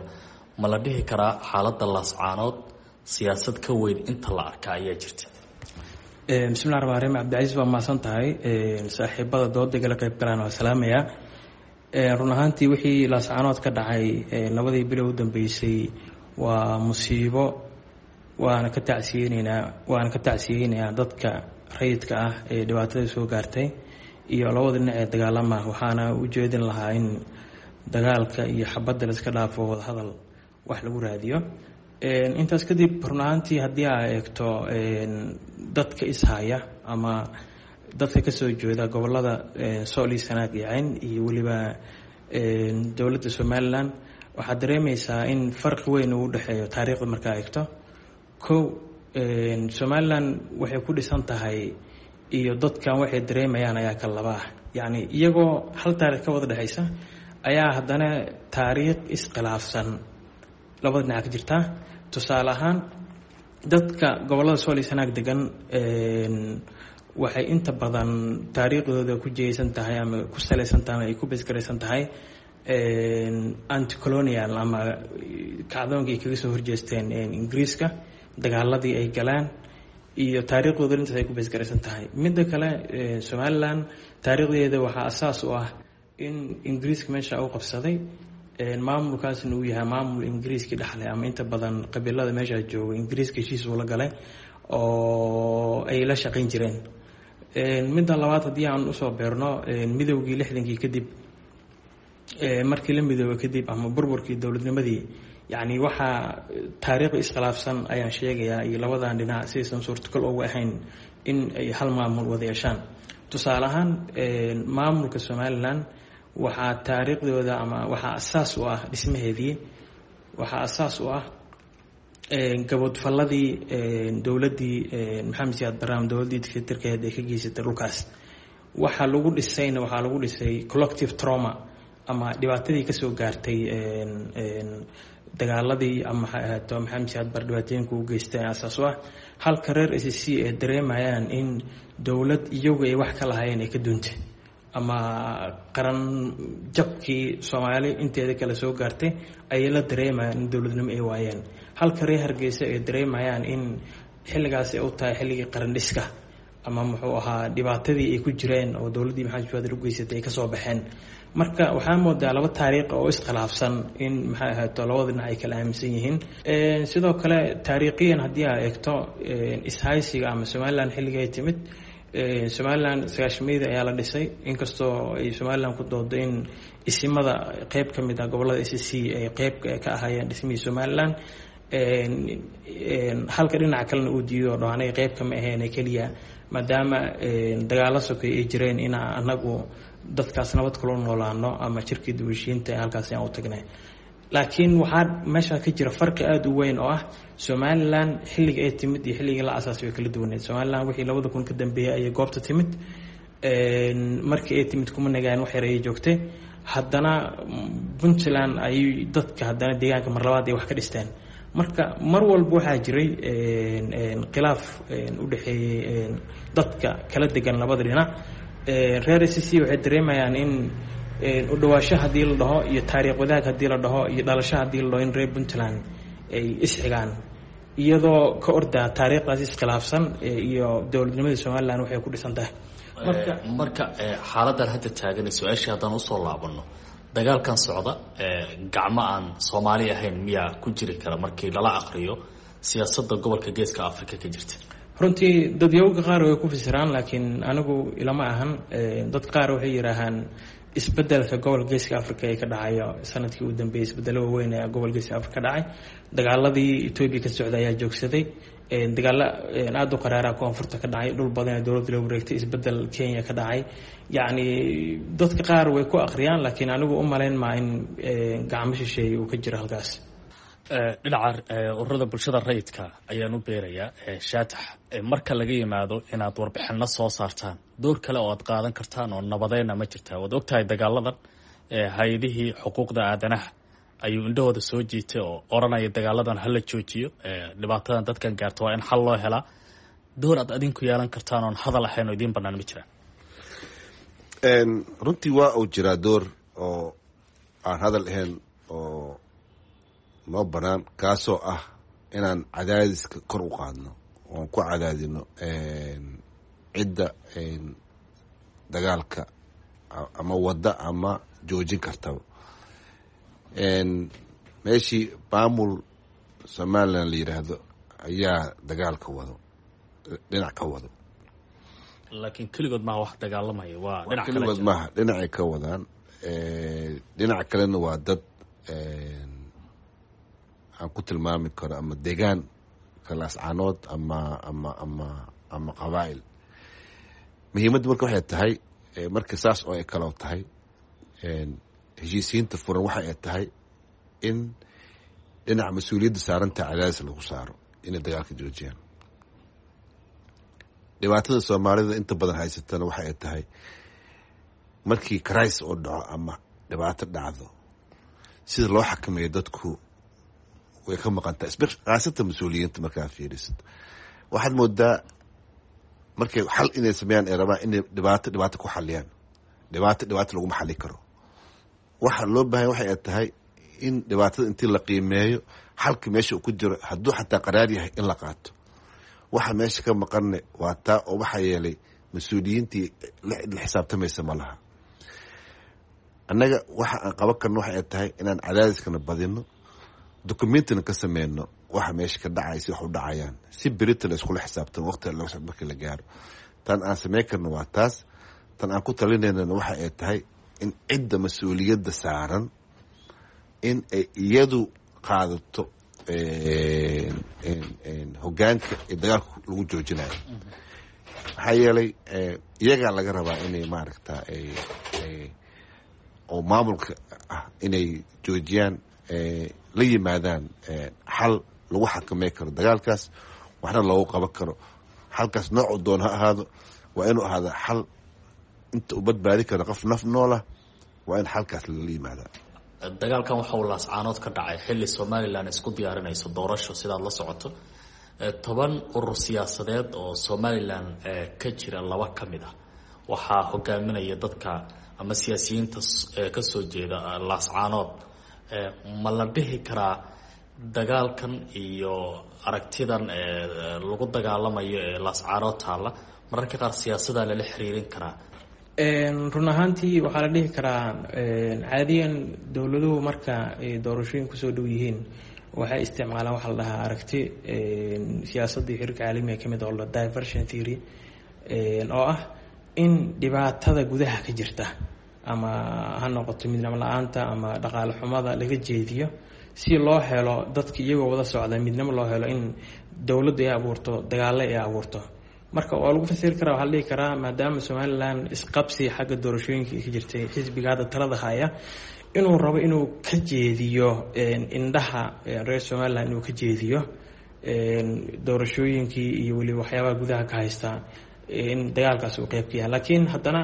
ma la dhihi karaa xaaladda Laascaanood siyaasad ka weyn inta la arka ayaa jirta? Bismillahi raxmaan raxiim. Cabdicasiis, waa mahadsan tahay. Saaxiibada dooda igala qeyb galaan waa salaamayaa. Run ahaantii, wixii Laascaanood ka dhacay labadii bilo u dambeysay waa musiibo, waana ka tacsiyeynayaa dadka rayidka ah ee dhibaatada soo gaartay iyo labada dhinac ee dagaalama. Waxaana u jeedin lahaa in dagaalka iyo xabadda la iska dhaafo, wadahadal wax lagu raadiyo. Intaas kadib, run ahaantii, haddii aa eegto dadka ishaya ama Dadka kasoo jeeda gobolada Sool iyo Sanaag iyo Cayn iyo weliba dowladda Somalilan, waxaad dareemeysaa in farqi weyn uu udhexeeyo taariikhda markaa eegto. Kow, Somalilan waxay ku dhisan tahay iyo dadkan waxay dareemayaan ayaa kala laba ah. Yacni iyagoo hal taarikh ka wada dhexeysa ayaa haddana taariikh iskhilaafsan labada dhinac ka jirtaa. Tusaale ahaan, dadka gobolada Sool iyo Sanaag degan waxay inta badan taariikhdooda ku jeysan tahay ama ku saleysan tahay ama ay ku besgaraysan tahay anticolonial ama kacdoonkii ay kaga soo horjeesteen Ingiriiska, dagaaladii ay galaan iyo taariikhdooda intaas ay ku besgaraysan tahay. Midda kale, Somalilan taariikhdeeda waxaa asaas u ah in Ingiriiska meesha u qabsaday, maamulkaasna uu yahay maamul Ingiriiskii dhexlay, ama inta badan qabiilada meesha jooga Ingiriiska heshiis uu la galay oo ay la shaqayn jireen. Midda labaad, haddii aan usoo beerno midowgii 60kii kadib, markii la midoobay kadib ama burburkii dowladnimadii, yacni waxaa taariikhda iskhilaafsan ayaan sheegayaa iyo labadan dhinac sidaysan suurtagal uga ahayn in ay hal maamul wada yeeshaan. Tusaale ahaan, maamulka Somalilan waxaa taariikhdooda ama waxaa asaas u ah dhismaheedii, waxaa asaas u ah gabodfalladii dowladdii Maxamed Siyaad Barre, dowladdii dictatorkeed ay ka geysatay dhulkaas. Waxaa lagu dhisayna waxaa lagu dhisay collective trauma ama dhibaatadii kasoo gaartay dagaaladii ama maxay ahaato Maxamed Siyaad Barre dhibaatooyinka u geystay asaas u ah, halka reer SSC ay dareemayaan in dowlad iyagu ay wax ka lahaayeen ay ka duuntay ama qaran jabkii Soomaali inteeda kale soo gaartay ayay la dareemayaan in dowladnimo ay waayeen, halka reer Hargeysa ay dareemayaan in xilligaas ay u tahay xilligii qaran dhiska ama muxuu ahaa dhibaatadii ay ku jireen oo dowladdii Maxamed Siyaad u geysatay ay kasoo baxeen. Marka waxaa moodaa laba taariikh oo iskhilaafsan in maxay ahaato labada dhinac ay kala aaminsan yihiin. Sidoo kale, taariikhiyan haddii aa eegto ishaysiga ama Somalilan xilligii ay timid, Somalilan 90-meyda ayaa la dhisay, inkastoo ay Somalilan ku doodo in isimada qeyb ka mid ah gobolada SSC ay qeyb ka ahaayeen dhismihii Somalilan, halka dhinaca kalena uu diido dhaho anaga qeyb kama ahayn, keliya maadaama dagaalo sokay ay jireen in anagu dadkaas nabad kula noolaano ama shirkii duwashiinta halkaas aan u tagnay. Laakiin waxaa meesha ka jira farqi aada u weyn oo ah Somalilan xilliga ay timid iyo xilligii la asaasay way kala duwaneed. Somalilan wixii 2000 ka dambeeyay ayay goobta timid. Markii ay timid kuma nagaan, wax yar ayay joogtay. Haddana Puntland ayay dadka haddana deegaanka mar labaad ay wax ka dhisteen. Marka mar walba waxaa jiray khilaaf u dhexeeyey dadka kala degan labada dhinac. Reer SSC waxay dareemayaan in u dhawaasho haddii la dhaho iyo taariikh wadaag haddii la dhaho iyo dhalasho haddii la dhaho in reer Puntland ay isxigaan, iyadoo ka ordaa taariikhdaas iskhilaafsan iyo dowladnimada Somalilan waxay ku dhisan tahay. Marka xaaladan hadda taagan, su-aashii haddaan usoo laabano, dagaalkan socda gacmo aan Soomaali ahayn miyaa ku jiri kara markii lala akriyo siyaasadda gobolka Geeska Africa ka jirta? Runtii dadyowga qaar way ku fasiraan, laakiin anigu ilama ahan. Dad qaar waxay yidhaahaan isbedelka gobolka Geeska Africa ee ka dhacayo sanadkii u dambeeyey, isbedelo waaweyn ee gobolka Geeska Africa ka dhacay, dagaaladii Etoobiya ka socday ayaa joogsaday, dagaalo aada u qaraara koonfurta ka dhacay, dhul badan ee dowladda loo wareegtay, isbedel Kenya ka dhacay. Yacni dadka qaar way ku akhriyaan, laakiin anigu u malayn maa in gacmo shisheeye uu ka jiro halkaas. Dhinaca ururada bulshada rayidka ayaan u beerayaa. Shaatax, marka laga yimaado inaad warbixino soo saartaan, door kale oo aad qaadan kartaan oo nabadeyna ma jirtaa? Waad ogtahay dagaaladan hay-adihii xuquuqda aadanaha ayuu indhahooda soo jiitay oo oranaya dagaaladan hala joojiyo, dhibaatadan dadkan gaarto waa in xal loo helaa. Door aad adinku yeelan kartaan oon hadal ahayn oo idiin banaan ma jiraan? Runtii waa uu jiraa door oo aan hadal ahayn oo noo banaan, kaasoo ah inaan cadaadiska kor u qaadno oon ku cadaadino cidda dagaalka ama wadda ama joojin kartaba. Meeshii maamul Somalilan la yidhaahdo ayaa dagaalka wado, dhinac ka wado. Laakiin keligood maaha wax dagaalamaya, waa dhinac kale. Keligood maaha, dhinacay ka wadaan, dhinac kalena waa dad aan ku tilmaami karo ama deegaan kalaascaanood ama qabaa'il. Muhiimadda marka waxay tahay, marka saas oo ay kaloo tahay, heshiisiinta furan waxa ay tahay in dhinaca mas-uuliyadda saarantaa cadaadis lagu saaro inay dagaalka joojiyaan. Dhibaatada Soomaalida inta badan haysatana waxa ay tahay markii crisis oo dhaco ama dhibaato dhacdo, sida loo xakameeyo dadku way ka maqantaa, khaasatan mas-uuliyiinta. Markaa fiirisid, waxaad moodaa markay xal inay sameeyaan ay rabaan inay dhibaato dhibaato ku xaliyaan. Dhibaato dhibaato laguma xali karo. Waxa loo baahanya waxay ay tahay in dhibaatada intii la qiimeeyo, xalka meesha uu ku jiro, hadduu xataa qaraar yahay, in la qaato. Waxa meesha ka maqanne waa taa, oo waxaa yeelay mas-uuliyiintii la xisaabtamaysa ma laha. Annaga waxa aan qaban karno waxa ay tahay inaan cadaadiskana badino, documentina ka sameyno waxa meesha ka dhacay, si wax u dhacayaan, si berita la iskula xisaabtamo waqti markii la gaaro. Tan aan sameyn karno waa taas. Tan aan ku talinaynana waxa ay tahay in cidda mas-uuliyadda saaran in ay iyadu qaadato hogaanka ee dagaalka lagu joojinayo, maxaa yeelay iyagaa laga rabaa inay maaragta oo maamulka ah inay joojiyaan, la yimaadaan xal lagu xakamey karo dagaalkaas, waxna loogu qaban karo. Xalkaas noocuu doon ha ahaado, waa inuu ahaada xal inta uu badbaadi karo qof naf noolah. Waa in xalkaas lala yimaadaa. Dagaalkan waxa uu Laascaanood ka dhacay xilli Somalilan isku diyaarinayso doorasho. Sidaad la socoto, 10 urur siyaasadeed oo Somalilan ka jira, laba ka mid ah waxaa hogaaminaya dadka ama siyaasiyiinta kasoo jeeda Laascaanood. Ma la dhihi karaa dagaalkan iyo aragtidan lagu dagaalamayo ee Laascaanood taalla mararka qaar siyaasadaa lala xiriirin karaa? Run ahaantii waxaa la dhihi karaa, caadiyan dowladuhu marka ay doorashooyin kusoo dhow yihiin waxay isticmaalaan waxa la dhahaa aragti siyaasadda iyo xiriirka caalamiga kamid oo la diversion theory, oo ah in dhibaatada gudaha ka jirta, ama ha noqoto midnimo la-aanta ama dhaqaale xumada, laga jeediyo si loo helo dadka iyagoo wada socda midnimo loo helo, in dowladdu ay abuurto dagaalo ay abuurto. Marka waa lagu fasiri karaa, waxaa la dhihi karaa maadaama Somalilan isqabsi xagga doorashooyinka ka jirtay, xisbiga hadda talada haya inuu rabo inuu ka jeediyo indhaha reer Somalilan, inuu ka jeediyo doorashooyinkii iyo weliba waxyaabaha gudaha ka haysta, in dagaalkaas uu qeyb ka yahay. Laakiin haddana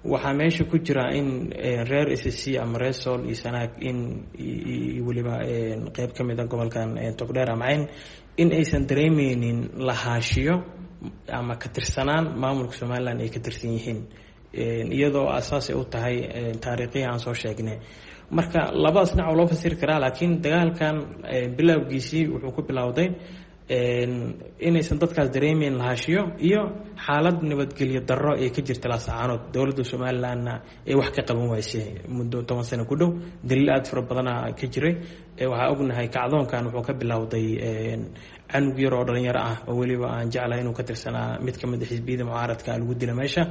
waxaa meesha ku jira in reer SSC ama reer Sool iyo Sanaag in iyo weliba qeyb ka mid a gobolkan Togdheer ama Cayn in aysan dareemeynin lahaashiyo ama ka tirsanaan maamulka Somalilan ay ka tirsan yihiin, iyadoo asaasay u tahay taariikhihii aan soo sheegnay. Marka labadaas dhinac oo loo fasiri karaa, laakiin dagaalkan bilowgiisii wuxuu ku bilowday inaysan dadkaas dareemeyn lahaashiyo iyo xaalad nabadgelyo darro ee ka jirta Laascaanood, dowladda Somalilanna ee wax ka qaban waysay muddo 10 sano ku dhow. Daliil aada fara badana ka jiray. Waxaa ognahay kacdoonkan wuxuu ka bilowday canug yar oo dhalinyaro ah oo weliba aan jeclahay inuu ka tirsanaa mid kamid a xisbiyada mucaaradka lagu dila meesha.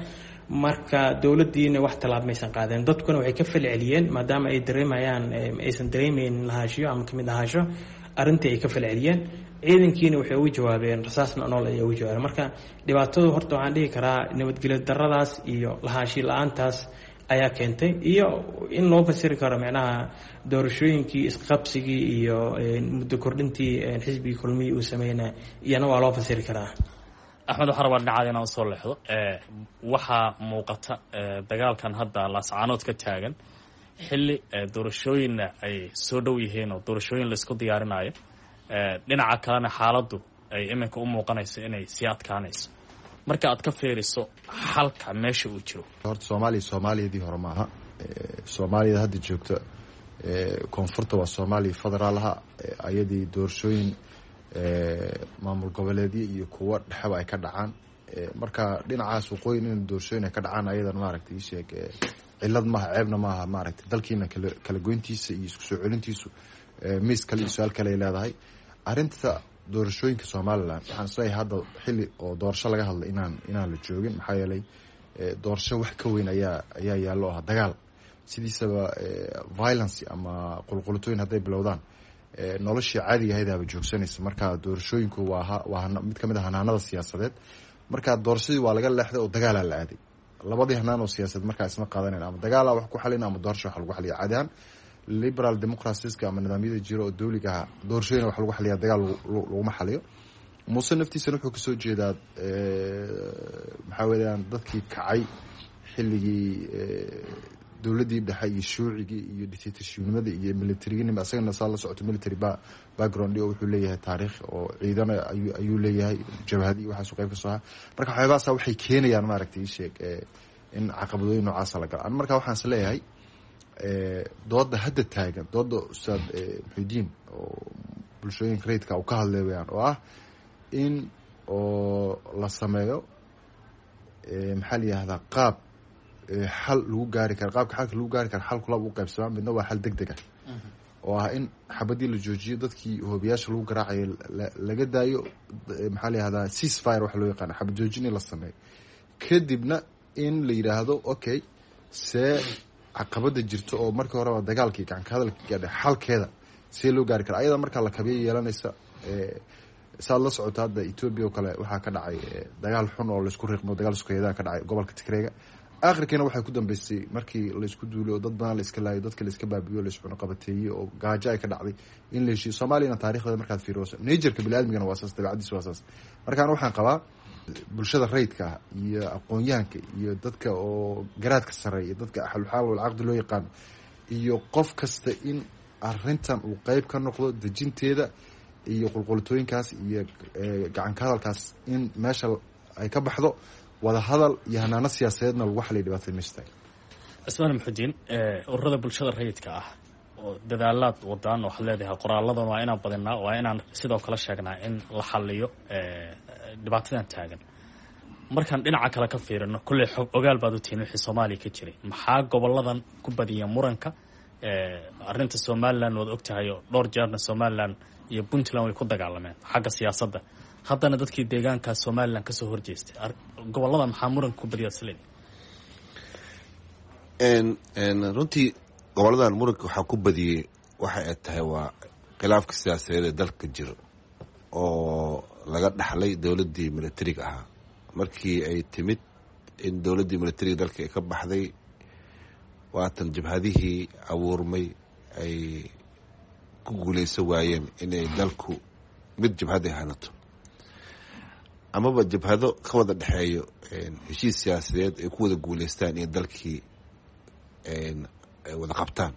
Marka dowladdiina wax tallaab maysan qaadeen, dadkuna waxay ka falceliyeen maadaama ay dareemayaan aysan dareemeynin lahaashiyo ama kamid ahaasho arrintii ay ka falceliyeen. Ciidankiina waxay ugu jawaabeen rasaasna nool ayay ugu jawaabeen. Marka dhibaatadu horta waxaan dhihi karaa nabadgelyo daradaas iyo lahaashi la-aantaas ayaa keentay, iyo in loo fasiri karo micnaha doorashooyinkii isqabsigii iyo muddo kordhintii xisbigii Kulmihii uu sameynay, iyana waa loo fasiri karaa. Axmed, waxaan rabaa dhinacaada inaan usoo leexdo. Waxaa muuqata dagaalkan hadda Laascaanood ka taagan xilli doorashooyinna ay soo dhow yihiin oo doorashooyin laisku diyaarinayo, dhinaca kalena xaaladdu ay iminka u muuqanayso inay sii adkaanayso. Marka aad ka fiiriso xalka meesha uu jiro? Horta Soomaaliya Soomaaliyadii hore maaha. Soomaaliyada hadda joogta koonfurta waa Soomaaliya federaalaha, ayadii doorashooyin maamul goboleedyo iyo kuwo dhexeba ay ka dhacaan. Marka dhinacaas waqooyin in doorashooyin ay ka dhacaan ayadan maaragtay isheeg cilad maaha, ceebna maaha. Maaragtay dalkiina kala goyntiisa iyo isku soo celintiisu miis kale iyo su-aal kale ay leedahay. Arrinta doorashooyinka Somalilan waxaan isleeyahay hadda xilli oo doorasho laga hadlay inaan la joogin, maxaa yeelay doorasho wax ka weyn ayaa yaallo ah dagaal. Sidiisaba violence ama qulqulutooyin hadday bilowdaan, noloshii caadiga ahayd aaba joogsanaysa. Marka doorashooyinku waa mid kamid a hanaanada siyaasadeed. Marka doorashadii waa laga leexday oo dagaalaa la aaday. Labadii hanaan oo siyaasadeed markaa isma qaadanayn, ama dagaalaa wax ku xalin ama doorasho wax lagu xaliya. Caadi ahaan liberal democracies-ka ama nidaamyada jira oo dowliga ah, doorashooyina wax lagu xaliya, dagaal laguma xaliyo. Muuse naftiisana wuxuu kasoo jeedaa, maxaa weeyaan, dadkii kacay xilligii dowladdii dhexe iyo shuucigii iyo dictatorshipnimada iyo militariginima. Isagana saa la socoto military background oo wuxuu leeyahay taariikh oo ciidana ayuu leeyahay, jabhadi iyo waxaasu qayb ka soo aha. Marka waxyaabahaasa waxay keenayaan, maaragtay, isheeg, in caqabadooyin noocaasa la galo. An marka waxaan is leeyahay dooda hadda taagan, dooda Ustaad Muxidiin oo bulshooyinka rayidka uu ka hadlay weyaan, oo ah in oo la sameeyo, maxaa la yihahdaa, qaab xal lagu gaari karo. Qaabka xalka lagu gaari karo, xal kulab u qaybsamaa. Midna waa xal deg deg ah oo ah in xabadii la joojiyo, dadkii hoobiyaasha lagu garaacayo laga daayo, maxaa la yihahdaa, ceasefire waxa loo yaqaana, xabad joojin in la sameeyo, kadibna in la yidhaahdo okay, see caqabada jirto oo markii horeba dagaalkii gacanka hadalka gaadhay xalkeeda see loo gaari kara, ayada markaa la kabiya yeelanaysa. Saad la socoto, hadda Etoobiya oo kale waxaa ka dhacay dagaal xun oo laisku riiqmo, dagaal sukeeyadaa ka dhacay gobolka Tigreega. Aakhirkiina waxay ku dambeysay markii laisku duulay oo dad badan la iska laayo, dadka la iska baabiyo, la iscunaqabateeyey oo gaajo ay ka dhacday, in la heshiiyo. Soomaaliyana taarikhdeeda markaad fiiriso, nature-ka biniaadmigana waa saas, dabeecadiisa waa saas. Markaan waxaan qabaa bulshada rayidka ah iyo aqoon-yahanka iyo dadka oo garaadka sarreeya iyo dadka axluxaal walcaqdi loo yaqaano iyo qof kasta in arrintan uu qeyb ka noqdo dejinteeda iyo qulqulitooyinkaas iyo gacanka hadalkaas in meesha ay ka baxdo, wada hadal iyo hanaano siyaasadeedna lagu xaliyo dhibaatada meesha taagan. Cismaan Muxudiin, ururada bulshada rayidka ah oo dadaalaad wadaan, waxaad leedahay qoraaladan waa inaan badinaa, waa inaan sidoo kale sheegnaa in la xaliyo dhibaatadan taagan. Markaan dhinaca kale ka fiirino, kolley xog ogaal baad u tihiin wixii Soomaaliya ka jiray. Maxaa goboladan ku badiya muranka? Arrinta Somaliland waad ogtahay oo dhowr jeerna Somaliland iyo Puntland way ku dagaalameen xagga siyaasadda. Haddana dadkii deegaanka Somaliland kasoo horjeestay. Gobolada maxaa muranka ku badiya isleed? Runtii goboladan muranka waxaa ku badiyey waxa ay tahay waa khilaafka siyaasadeed ee dalka jiro oo laga dhaxlay dowladdii militariga ahaa. Markii ay timid in dowladdii militariga dalka ay ka baxday, waatan jabhadihii abuurmay ay ku guuleysan waayeen inay dalku mid jabhad ay hanato amaba jabhado ka wada dhexeeyo heshiis siyaasadeed ay ku wada guuleystaan in dalkii ay wada qabtaan.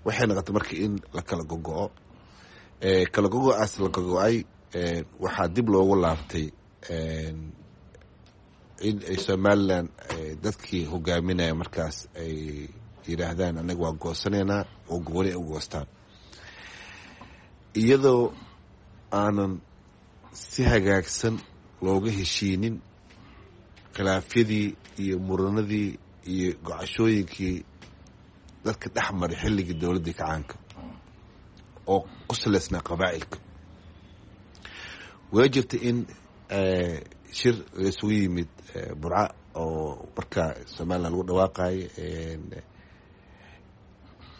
Waxay noqotay marka in la kala gogo-o. Kala gogo-aas la gogo-ay waxaa dib loogu laabtay in ay Somaliland dadkii hogaaminaya markaas ay yidhaahdaan anaga waa goosanaynaa, oo gooni ay u goostaan, iyadoo aanan si hagaagsan looga heshiinin khilaafyadii iyo muranadii iyo gocashooyinkii dadka dhex maray xilligii dowladdii kacaanka oo ku saleysnaa qabaa'ilka. Way jirta in shir laisugu yimid Burca oo markaa Somaliland lagu dhawaaqayo,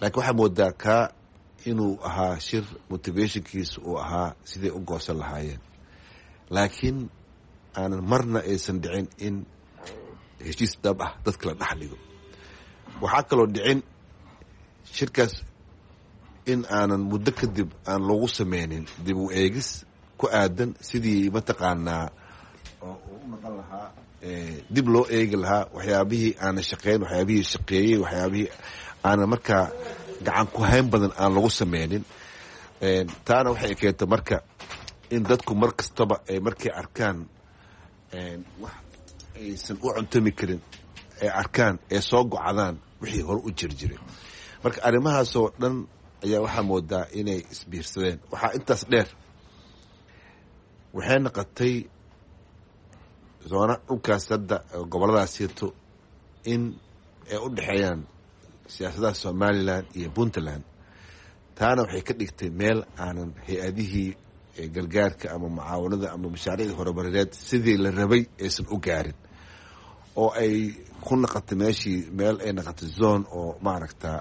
laakiin waxaa moodaa kaa inuu ahaa shir motivationkiisa uu ahaa siday u goosan lahaayeen, laakiin aanan marna aysan dhicin in heshiis dhab ah dadka la dhex dhigo. Waxaa kaloo dhicin shirkaas in aanan muddo kadib aan loogu sameynin dib u eegis ku aadan sidii mataqaanaa oo u noqon lahaa, dib loo eegi lahaa waxyaabihii aanan shaqeyn, waxyaabihii shaqeeyey, waxyaabihii aanan markaa gacan ku hayn badan aan lagu sameynin. Taana waxay keentay marka in dadku mar kastaba ay markay arkaan wax aysan u cuntami karin ay arkaan ee soo gocdaan wixii hore u jiri jiray. Marka arrimahaasoo dhan ayaa waxaa moodaa inay isbiirsadeen. Waxaa intaas dheer, waxay noqotay zoona dhulkaas hadda goboladaas sirto in ay u dhexeeyaan siyaasadaha Somaliland iyo Puntland. Taana waxay ka dhigtay meel aanan hay-adihii gargaarka ama mucaawanada ama mashaariicda horumarineed sidii la rabay aysan u gaarin, oo ay ku noqotay meeshii meel ay noqotay zone oo maaragta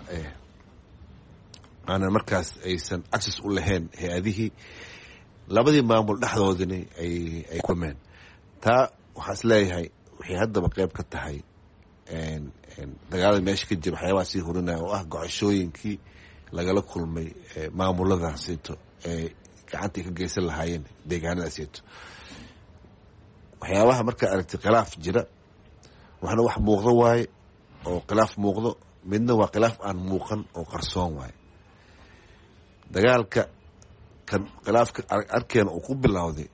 aanan markaas aysan access u lahayn hay-adihii. Labadii maamul dhexdoodina ay kulmeen. Taa Waxaa is leeyahay waxay haddaba qeyb ka tahay dagaalada meesha ka jira, waxyaabaha sii hurinaya oo ah gocoshooyinkii lagala kulmay maamuladaasito ee gacanta ay ka geysan lahaayeen deegaanadaasito. Waxyaabaha markaa aragtay khilaaf jira, waxna wax muuqdo waaye oo khilaaf muuqdo, midna waa khilaaf aan muuqan oo qarsoon waaye. Dagaalka kan khilaafka arkeena uu ku bilowday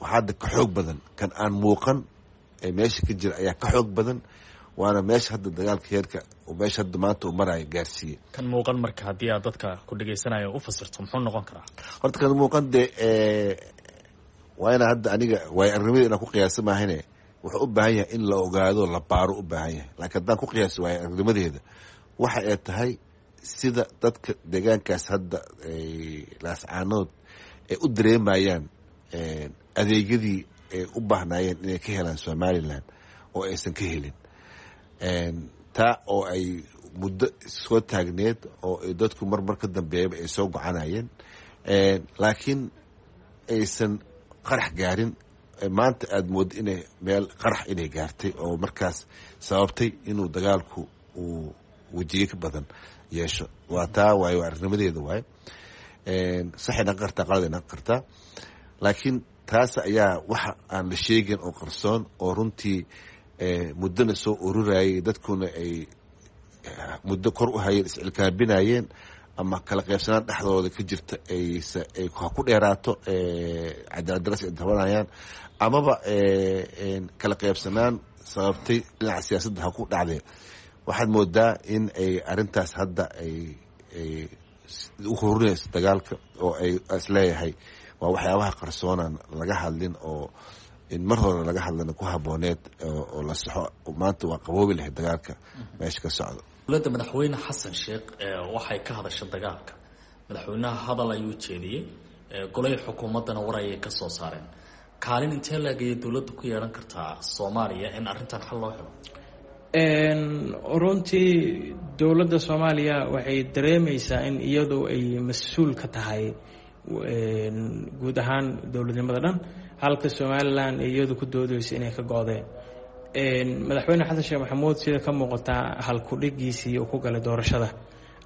waxaa hadda ka xoog badan kan aan muuqan ee meesha ka jira ayaa ka xoog badan, waana meesha hadda dagaalka heerka meesha hadda maanta uu maraayo gaarsiiye. Kan muuqan marka haddii aad dadka ku dhegeysanaya u fasirto, muxuu noqon karaa? Horta kan muuqan dee waa inaa hadda aniga waayo arrimada inaan ku qiyaasa maahane, wuxuu u baahan yahay in la ogaado, la baaro u baahan yahay. Laakiin haddaan ku qiyaaso waayo arnimadeeda, waxa ay tahay sida dadka deegaankaas hadda Laascaanood ay u dareemayaan adeegyadii ay u baahnaayeen inay ka helaan Somaliland oo aysan ka helin, taa oo ay muddo soo taagneed oo ay dadku marmar ka dambeeyaba ay soo gocanayeen, laakiin aysan qarax gaarin. Maanta aada mooddo inay meel qarax inay gaartay oo markaas sababtay inuu dagaalku uu wejiye ka badan yeesho. Waa taa waaye, waa arnimadeeda waaye. Saxay naqon kartaa, qalad ay naqon kartaa, laakiin taas ayaa waxa aan la sheegin oo qarsoon oo runtii muddona soo ururayay, dadkuna ay muddo kor u hayeen, iscilkaabinayeen ama kala qaybsanaan dhexdooda ka jirta ay ha ku dheeraato cadaaladdaras ay tabanayaan, amaba kala qaybsanaan sababtay dhinaca siyaasadda ha ku dhacdee. Waxaad moodaa in ay arrintaas hadda ay u hurinayso dagaalka oo ay isleeyahay waa waxyaabaha qarsoonan laga hadlin oo in mar hore laga hadlana ku habooneed oo la saxo, maanta waa qaboobi lahayd dagaalka meesha ka socda. Dowladda madaxweyne Xasan Sheekh waxay ka hadasha dagaalka. Madaxweynaha hadal ayuu jeediyey, golay xukuumaddana war ayay ka soo saareen. Kaalin intee laegayay dowladda ku yeelan kartaa Soomaaliya in arrintan xal loo helo? Runtii dowladda Soomaaliya waxay dareemeysaa in iyadu ay mas-uul ka tahay guud ahaan dowladnimada dhan, halka Somaliland iyadu ku doodeyso inay ka go-deen. Madaxweyne Xasan Sheekh Maxamuud, sida ka muuqataa halkudhigiisii uu ku galay doorashada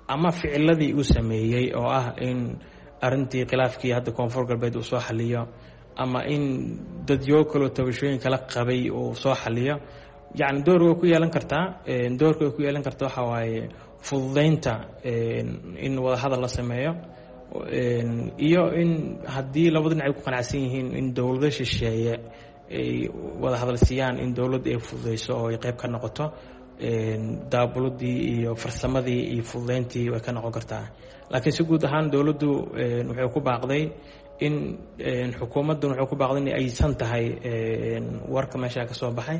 ama ficiladii uu sameeyey oo ah in arintii khilaafkii hadda Koonfur Galbeed uu soo xaliyo ama in dadyo kaloo tabashooyin kala qabay uu soo xaliyo, yacni door way ku yeelan kartaa. Doorka way ku yeelan kartaa waxaa waaye fududeynta in wadahadal la sameeyo iyo in haddii labada dhinac ay ku qanacsan yihiin in dowlado shisheeye ay wada hadal siiyaan, in dowladda ay fududeyso oo ay qayb ka noqoto daabuladii iyo farsamadii iyo fududeyntii way ka noqon kartaa. Laakiin si guud ahaan dowladdu waxay ku baaqday in xukuumaddan waxay ku baaqday in aysan tahay warka meesha ka soo baxay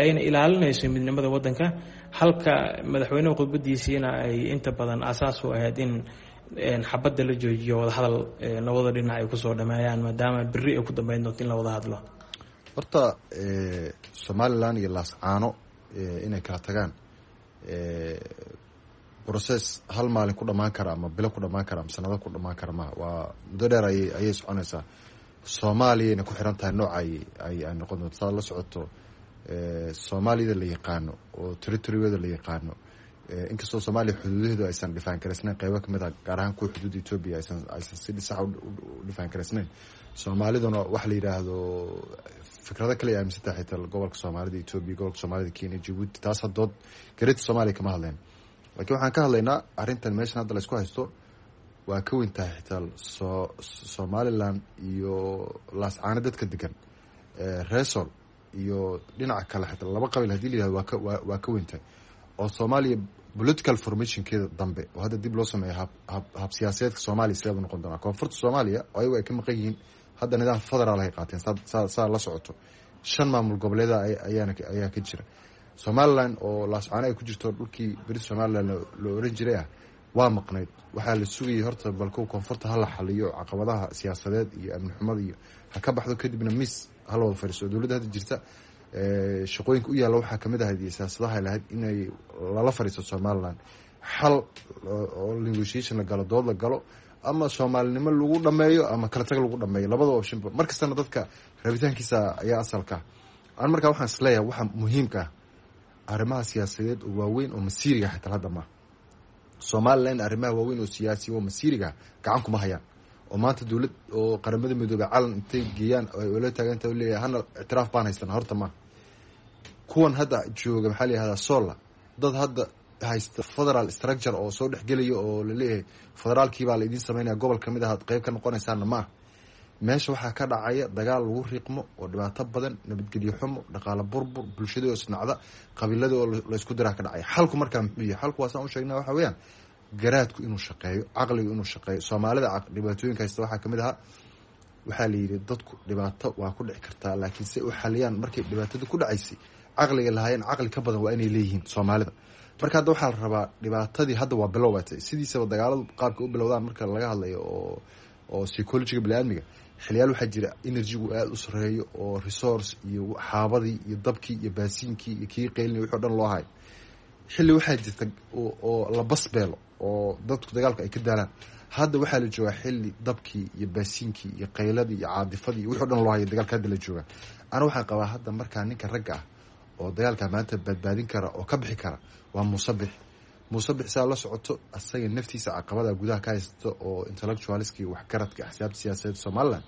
ayna ilaalinayso midnimada waddanka, halka madaxweynuhu khudbadiisiina ay inta badan asaas u ahayd in xabadda la joojiyo, wadahadal labada dhinac ay kusoo dhameeyaan, maadaama berri ay ku dambeyn doonto in la wada hadlo. Horta Somaliland iyo Laascaano inay kala tagaan process hal maalin ku dhamaan kara ama bilo ku dhamaan kara ama sanado ku dhamaan kara maha, waa muddo dheer ayay soconaysaa. Soomaaliyayna ku xiran tahay nooca ay noqon doonto. Saad la socoto, Soomaaliyada la yaqaano oo territorygeeda la yaqaano, inkastoo Soomaaliya xuduudaheedu aysan dhifaan karaysnayn, qeybo kamid a gaar ahaan kuwa xuduudda Etoobiya aysan si sax u dhifaan karaysnayn, Soomaaliduna waxa la yidhaahdo fikrado kale ay aaminsan tahay, xitaa gobolka Soomaalida Etoobiya, gobolka Soomaalida Kenya, Jabuuti, taas hadood gareeta Soomaaliya kama hadleen. Laakiin waxaan ka hadlaynaa arrintan meeshan hadda la isku haysto waa ka weyn tahay xitaa Somaliland iyo Laascaano dadka degan, Resol iyo dhinaca kale, xitaa laba qabiil hadii la yihahdo waa ka weyn tahay. Oo Soomaaliya political formationkeeda dambe oo hadda dib loo sameeyo hab siyaasadeedka Soomaaliya sideedu noqon doonaa? Koonfurta Soomaaliya oo ayagu ay ka maqan yihiin hadda nidaam federaal ay qaateen, saa la socoto shan maamul goboleeda ayaa ka jira. Somaliland oo Laascaano ay ku jirto, dhulkii beri Somaliland la oran jiray ah, waa maqnayd. Waxaa la sugayay horta balkow koonfurta hala xaliyo caqabadaha siyaasadeed iyo amni xumada iyo ha ka baxdo, kadibna miis hala wada fadhiiso. Dowladda hadda jirta shaqooyinka u yaalla waxaa kamid ahayd iyo siyaasadaha lahayd inay lala fadhiisto Somaliland, xal oo negotiation la galo, dood la galo, ama soomaalinimo lagu dhameeyo ama kala tag lagu dhameeyo, labada optionba. Mar kastana dadka rabitaankiisa ayaa asalka. An markaa waxaan isleeyahay waxa muhiimka ah arrimaha siyaasadeed oo waaweyn oo masiiriga xitaa hadda maaha. Somalilan arrimaha waaweyn oo siyaasi oo masiiriga gacan kuma hayaan, oo maanta dowlad oo Qaramada Midoobey calan intay geeyaan ay ula taaganta leeyahay hana ictiraaf baan haysana horta maaha. Kuwan hadda jooga, maxaa la yihahdaa, sola dad hadda haysta federal structure oo soo dhexgelaya oo laleeyahay federaalkii baa la idiin sameynaya, gobol kamid ah qeyb ka noqonaysaana ma ah. Meesha waxaa ka dhacaya dagaal lagu riiqmo oo dhibaato badan, nabadgelyo xumo, dhaqaalo burbur, bulshadii oo isnacda, qabiiladii oo laysku diraa ka dhacaya. Xalku markaa muxuu yahay? Xalku waa saan u sheegnaa, waxa weeyaan garaadku inuu shaqeeyo, caqligu inuu shaqeeyo. Soomaalida dhibaatooyinka haysta waxaa kamid ahaa, waxaa la yidhi dadku dhibaato waa ku dhici kartaa, laakiin si u xaliyaan markay dhibaatada ku dhacaysay caqliga lahaayeen caqli ka badan waa inay leeyihiin Soomaalida. Marka hadda waxaa la rabaa dhibaatadii hadda waa bilowbatay. Sidiisaba dagaaladu qaabka u bilowdaan marka laga hadlayo oo psychologiga biniaadmiga, xiliyaal waxaa jira energygu aada u sareeyo oo resource iyo xaabadii iyo dabkii iyo baasiinkii iyo kii qeylina wixi o dhan loo hayo. Xilli waxaa jirta oo la basbeelo oo dadku dagaalku ay ka daalaan. Hadda waxaa la joogaa xilli dabkii iyo baasiinkii iyo qayladii iyo caadifadii iyo wixi o dhan loo hayo dagaalka hadda la joogaa. Ana waxaan qabaa hadda markaa ninka ragga ah oo dagaalka maanta badbaadin kara oo ka bixi kara waa Muuse Bixi. Muuse Bixi saa la socoto asaga naftiisa caqabada gudaha ka haysato oo intellectualskii, waxgaradka, axsaabta siyaasadeed Somaliland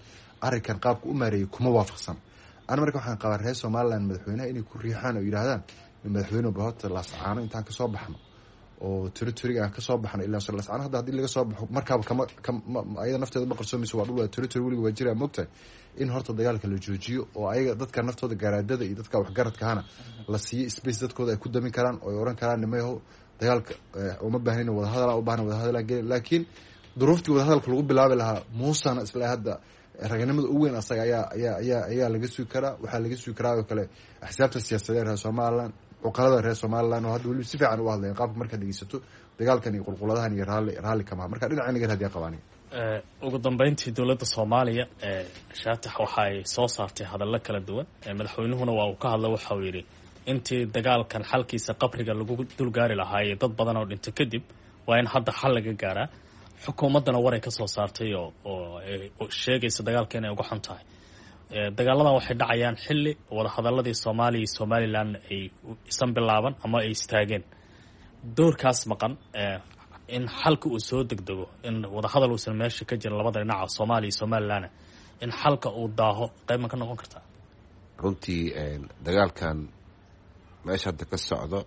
arrinkan qaabka u maareeyay kuma waafaqsan. Ana marka waxaan qabaa reer Somaliland madaxweynaha inay ku riixaan oo yidhaahdaan, madaxweyne, bahota Laascaano intaan kasoo baxno oo territoryga aan kasoo baxno, ilaa Laascaano hadda haddii laga soo baxo markaaba kama ayada nafteeda ma qarsoomayso, waa dhul, waa territory, weliga waa jiraa, moogtahay, in horta dagaalka la joojiyo oo ayaga dadka naftooda garaadada iyo dadka waxgaradkahana la siiyo space dadkooda ay ku damin karaan oo ay oran karaan, nimayahow, dagaalka uma baahnin, wadahadala u baahna, wadahadalaan gelin. Laakiin duruuftii wadahadalka lagu bilaabi lahaa Muusana isla hadda raganimada ugu weyn asaga ayaa laga sugi karaa. Waxaa laga sugi karaa oo kale axsaabta siyaasadeed reer Somaliland, cuqalada reer Somaliland oo hadda weliba si fiican u hadlayan qaabka markaad dhegeysato dagaalkan iyo qulquladahan iyo raalli kamaha marka dhinaca naga hadiya qabaan. Ugu dambeyntii, dowladda Soomaaliya, Shaatax, waxa ay soo saartay hadallo kala duwan. Madaxweynuhuna waa uu ka hadla, waxa uu yidhi intii dagaalkan xalkiisa qabriga lagu dulgaari lahaayey dad badan oo dhinto kadib, waa in hadda xal laga gaaraa. Xukuumaddana waray ka soo saartay oo sheegaysa dagaalka inay uga xun tahay. Dagaaladan waxay dhacayaan xilli wadahadaladii Soomaaliya iyo Somaliland ay isan bilaaban ama ay istaageen. Doorkaas maqan in xalka uu soo degdego, in wadahadal uusan meesha ka jirin labada dhinaca Soomaaliya iyo Somaliland, in xalka uu daaho, qayb ma ka noqon kartaa? Runtii dagaalkan meesha hadda ka socdo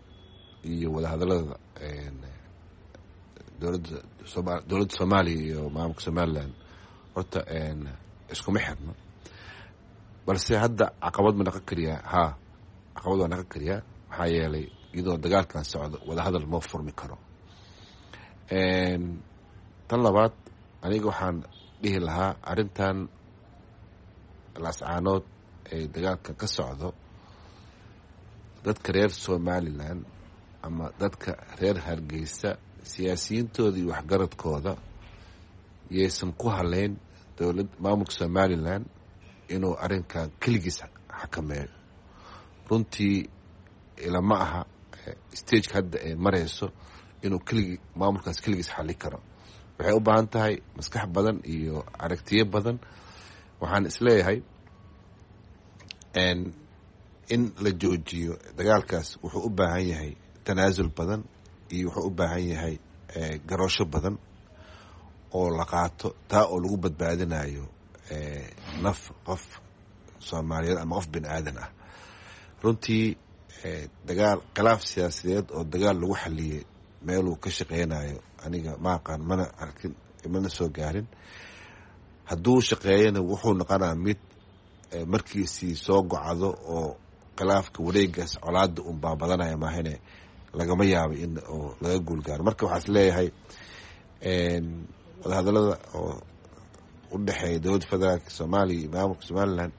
iyo wadahadalada dowladda Soomaaliya iyo maamulka Somaliland horta iskuma xirno, balse hadda caqabad ma naqon kariyaa? Haa, caqabad waa naqon kariyaa, maxaa yeelay iyadoo dagaalkan socdo wadahadal ma furmi karo. Tan labaad, aniga waxaan dhihi lahaa arrintan Laascaanood ee dagaalka ka socdo, dadka reer Somaliland ama dadka reer Hargeysa siyaasiyiintooda iyo waxgaradkooda yaysan ku haleyn dowlad maamulka Somaliland inuu arrinkan keligiis xakameeyo. Runtii ilama aha stageka hadda ay mareyso inuu keligii maamulkaas keligiis xali karo. Waxay u baahan tahay maskax badan iyo aragtiyo badan. Waxaan isleeyahay in la joojiyo dagaalkaas wuxuu u baahan yahay tanaasul badan iyo wuxuu u baahan yahay garoosho badan oo la qaato, taa oo lagu badbaadinayo naf qof Soomaaliyeed ama qof bini aadan ah. Runtii dagaal, khilaaf siyaasadeed oo dagaal lagu xaliyey meeluu ka shaqeynayo aniga ma aqaan, mana arkin, mana soo gaarin. Hadduu shaqeeyana wuxuu noqonaa mid markiisii soo gocdo oo khilaafka wareegaas colaada unbaa badanaya maahane, lagama yaabo in oo laga guulgaaro. Marka waxaa is leeyahay wadahadalada oo u dhexeeya dowladda federaalka Soomaaliya iyo maamulka Somaliland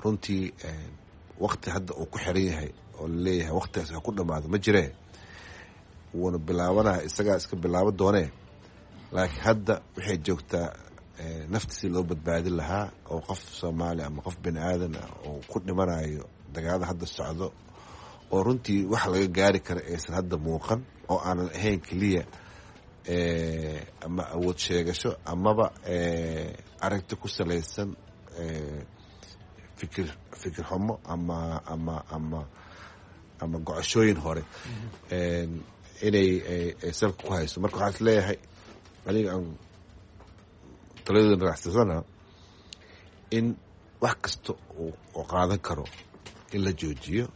runtii wakti hadda uu ku xiran yahay oo laleeyahay waktigaas ha ku dhamaado ma jiree. Wuuna bilaabanaya, isagaa iska bilaabo doonee, laakiin hadda waxay joogtaa naftiisi loo badbaadin lahaa oo qof Soomaali ama qof bini aadan ah oo ku dhimanayo dagaalada hadda socdo oo runtii wax laga gaari kara aysan hadda muuqan, oo aanan ahayn keliya ama awood sheegasho amaba aragti ku salaysan. Fikir fikir xumo ama ama ama ama gocoshooyin hore inay salka ku hayso. Marka waxaan is leeyahay aniga aan taladooda raacsasana in wax kasta oo qaadan karo in la joojiyo.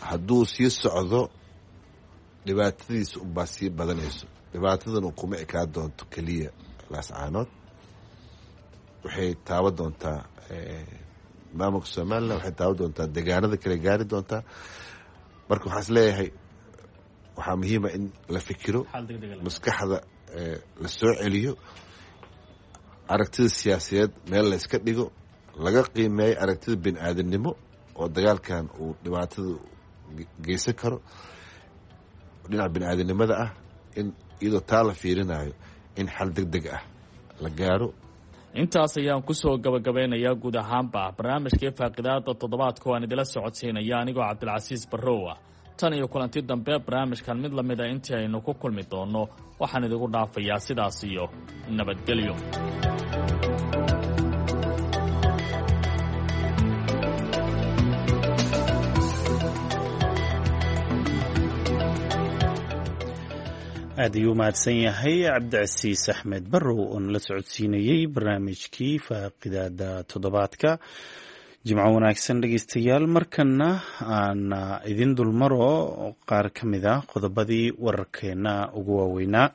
Hadduu sii socdo dhibaatadiisa unbaa sii badanayso. Dhibaatadan kuma ekaa doonto keliya Laascaanood, waxay taaban doontaa maamulka Somalilan, waxay taaban doontaa deegaanada kale gaari doontaa. Marka waxaan is leeyahay waxaa muhiima in la fikiro, maskaxda la soo celiyo, aragtida siyaasadeed meel la iska dhigo, laga qiimeeyo aragtida bini aadamnimo oo dagaalkan uu dhibaatada geysan karo dhinaca bini aadamnimada ah, in iyadoo taa la fiirinayo in xal deg deg ah la gaaro. Intaas ayaan kusoo gabagabeynayaa guud ahaanba barnaamijkii faaqidaada toddobaadka oo aan idila socodsiinaya anigoo Cabdilcasiis Barrow ah. Tan iyo kulanti dambe barnaamijkan mid lamid a intii aynu ku kulmi doonno, waxaan idigu dhaafayaa sidaas iyo nabadgelyo. Aad ayuu mahadsan yahay Cabdicasiis Axmed Barrow oo nala socodsiinayey barnaamijkii faaqidaada toddobaadka. Jimco wanaagsan dhegeystayaal. Markana aan idin dulmaro qaar ka mid ah qodobadii wararkeena ugu waaweynaa.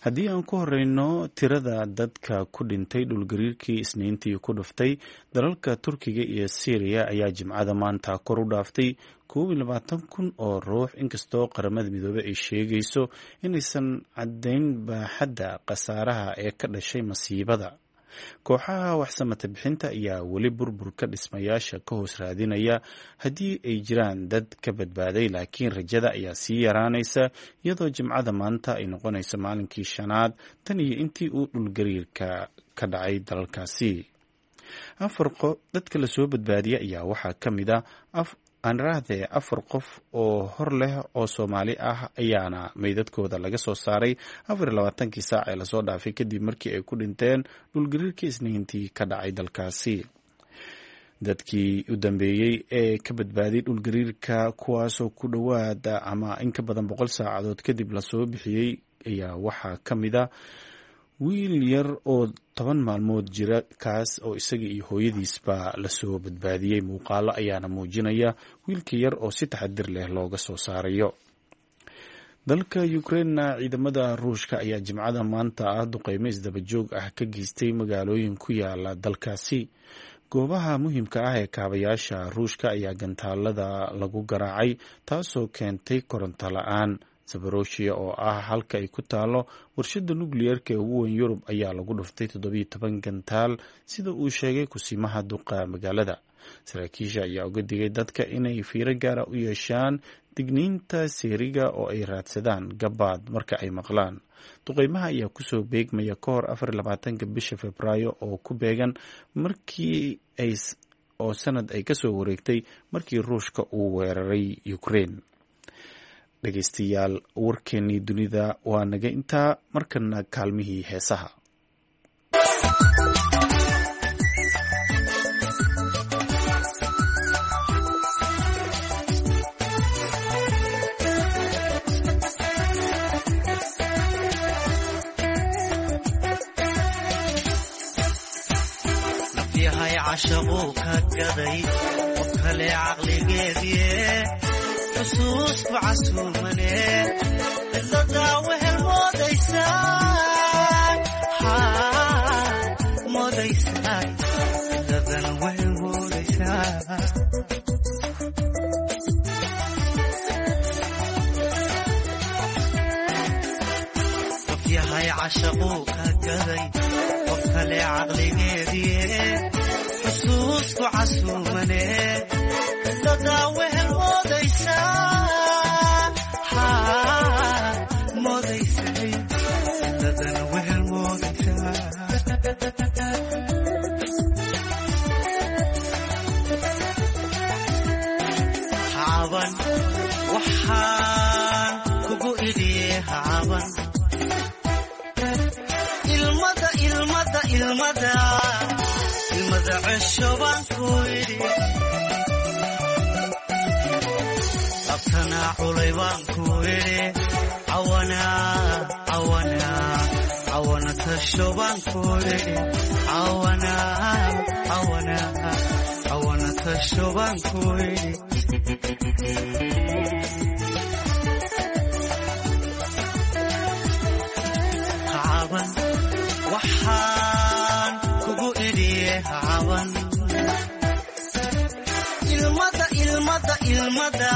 Haddii aan ku horeyno, tirada dadka ku dhintay dhulgariirkii Isniintii ku dhuftay dalalka Turkiga iyo Syriya ayaa Jimcada maanta kor u dhaaftay 21,000 oo ruux, inkastoo Qaramada Midoobey ay sheegayso inaysan caddayn baaxadda khasaaraha ee ka dhashay masiibada. Kooxaha waxsamata bixinta ayaa weli burburka dhismayaasha ka hoos raadinaya haddii ay jiraan dad ka badbaaday, laakiin rajada ayaa sii yaraanaysa iyadoo Jimcada maanta ay noqonayso maalinkii shanaad tan iyo intii uu dhulgariirka ka dhacay dalalkaasi. Afar dadka lasoo badbaadiyay ayaa waxaa ka mid a anraahde afar qof oo hor leh oo Soomaali ah ayaana meydadkooda laga soo saaray 24-kii saac ee lasoo dhaafay, kadib markii ay ku dhinteen dhulgariirkii Isniintii ka dhacay dalkaasi. Dadkii u dambeeyey ee ka badbaaday dhulgariirka, kuwaasoo ku dhowaada ama in ka badan 100 saacadood kadib lasoo bixiyey, ayaa waxaa ka mid a wiil yar oo 10 maalmood jira, kaas oo isaga iyo hooyadiisba lasoo badbaadiyey. Muuqaalo ayaana muujinaya wiilka yar oo si taxadir leh looga soo saarayo. Dalka Ukrainena, ciidamada Ruushka ayaa Jimcada maanta ah duqeymo isdabajoog ah ka geystay magaalooyin ku yaala dalkaasi. Goobaha muhiimka ah ee kaabayaasha Ruushka ayaa gantaalada lagu garaacay, taasoo keentay koronto la-aan. Zaboroshiya oo ah halka ay ku taalo warshada nukliyeerka ee ugu weyn Yurub ayaa lagu dhuftay 17 gantaal, sida uu sheegay kusimaha duqa magaalada. Saraakiisha ayaa uga digay dadka inay fiiro gaara u yeeshaan digniinta seeriga oo ay raadsadaan gabaad marka ay maqlaan. Duqeymaha ayaa kusoo beegmaya ka hor 24-ka bisha Febraayo oo ku beegan markii ay oo sanad ay kasoo wareegtay markii Ruushka uu weeraray Ukraine. Dhegeystayaal, warkeenii dunida waa naga intaa. Markana kaalmihii heesaha. Yahay cashaquu ka gaday qof kale caqligeediye, xusuusku casuumane cidladaa wehel moodaysaa, moodaysaa, cidladan wehel moodaysaa. Qof yahay cashaquu ka gaday qof kale caqligeediye, xusuusku casuumane cidladaa wehel moodaysaa, moodaysay, cidladan wehel moodaysaa. Hacaban waxaan kugu idhiye, hacaban ilmada ilmada ilmada ilmada. cesho baan ku idhi labtana culay baan ku idhi cawana cawana cawana tasho baan ku idhi cawana cawana cawana tasho baan ku idhi caban waxaan kugu idhiye caban ilmada ilmada ilmada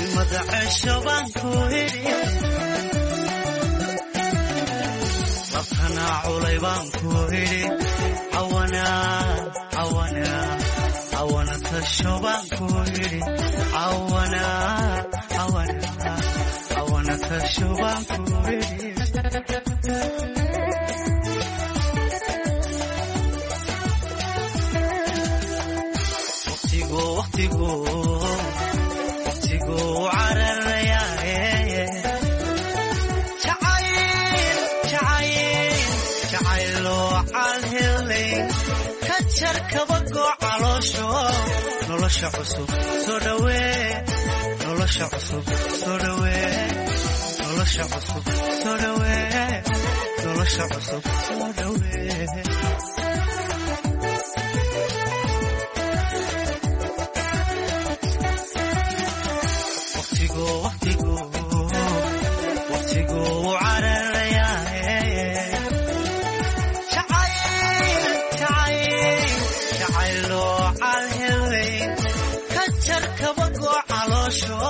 ilmada cesho baan ku idhi labtana culay baan ku idhi cawana cawana cawana tasho baan ku idhi cawana cawana cawana tasho baan ku idhi waqtigu waqtigu waqtigu cararayaaye jacayl jacayl jacayloo calhelay ka jar kabagoo caloosho nolosha cusub soo dhawee nolosha cusub soo dhawee nolosha cusub soo dhawee nolosha cusub soo dhawee waqtigu waqtigu waqtigu cararayaaye jacayl jacayl jacayloo calhelay ka jar kabagoo caloosho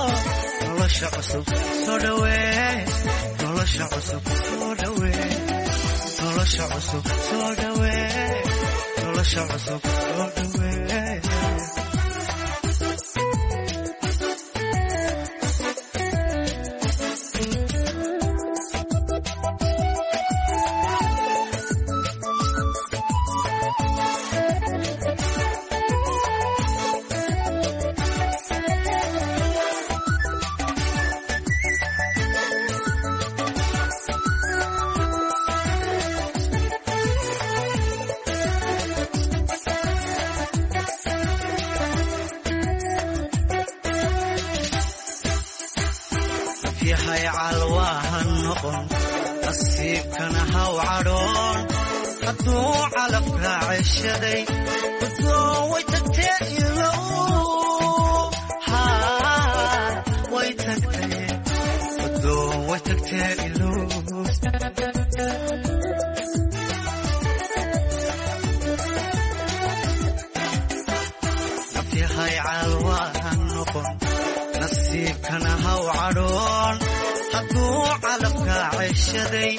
nolosha cusub soo dhawee nolosha cusub soo dhawee nolosha cusub soo dhawee nolosha cusub soo dhawee yahay calwaaha noqon nasiibkana haw cadhoon hadduu calafkaa ceshaday guddoon way tagtee ilow haa way tagtee guddoon way tagtee ilow nafyahay calwaaha noqon nasiibkana haw cadhoon hadduu calafkaa ceshaday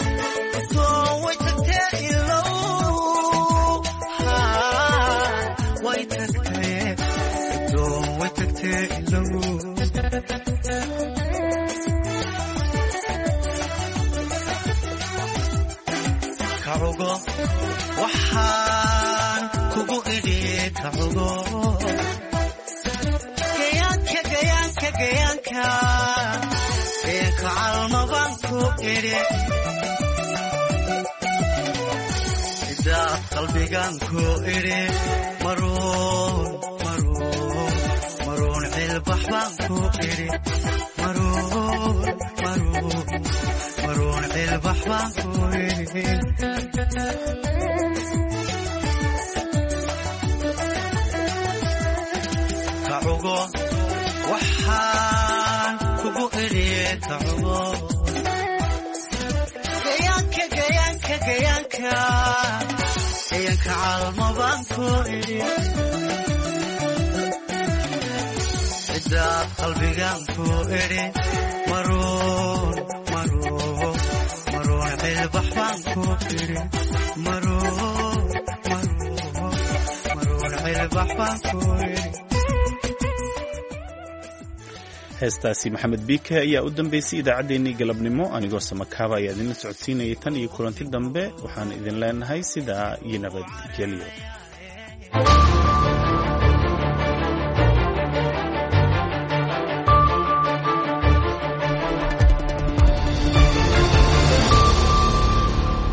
guddoon way tagtee ilow haa way tagtee guddoon way tagtee ilow kacugo waxaan kugu idhi kacugo gayaanka gayaanka gayaanka gayaanka calma baan ku idhi sidaad qalbigan ku idhi maruun maruun maruun cilbax baan ku idhi maruun maruun maruun cilbax baan ku idhi kacugo waxaan kugu idhi kacugo gayaanka gayaanka gayaanka gayaanka calma baan ku idhi cidaad qalbigan ku idhi maruun maruun maruun cilbax baan ku idhi maruun maruun maruun cilbax baan ku idhi Heestaasi Maxamed Biike ayaa u dambeysay idaacaddeenii galabnimo. Anigoo Samakaaba ayaa idinla socodsiinayay tan iyo kulanti dambe, waxaan idin leenahay sidaa iyo nabadgelyo.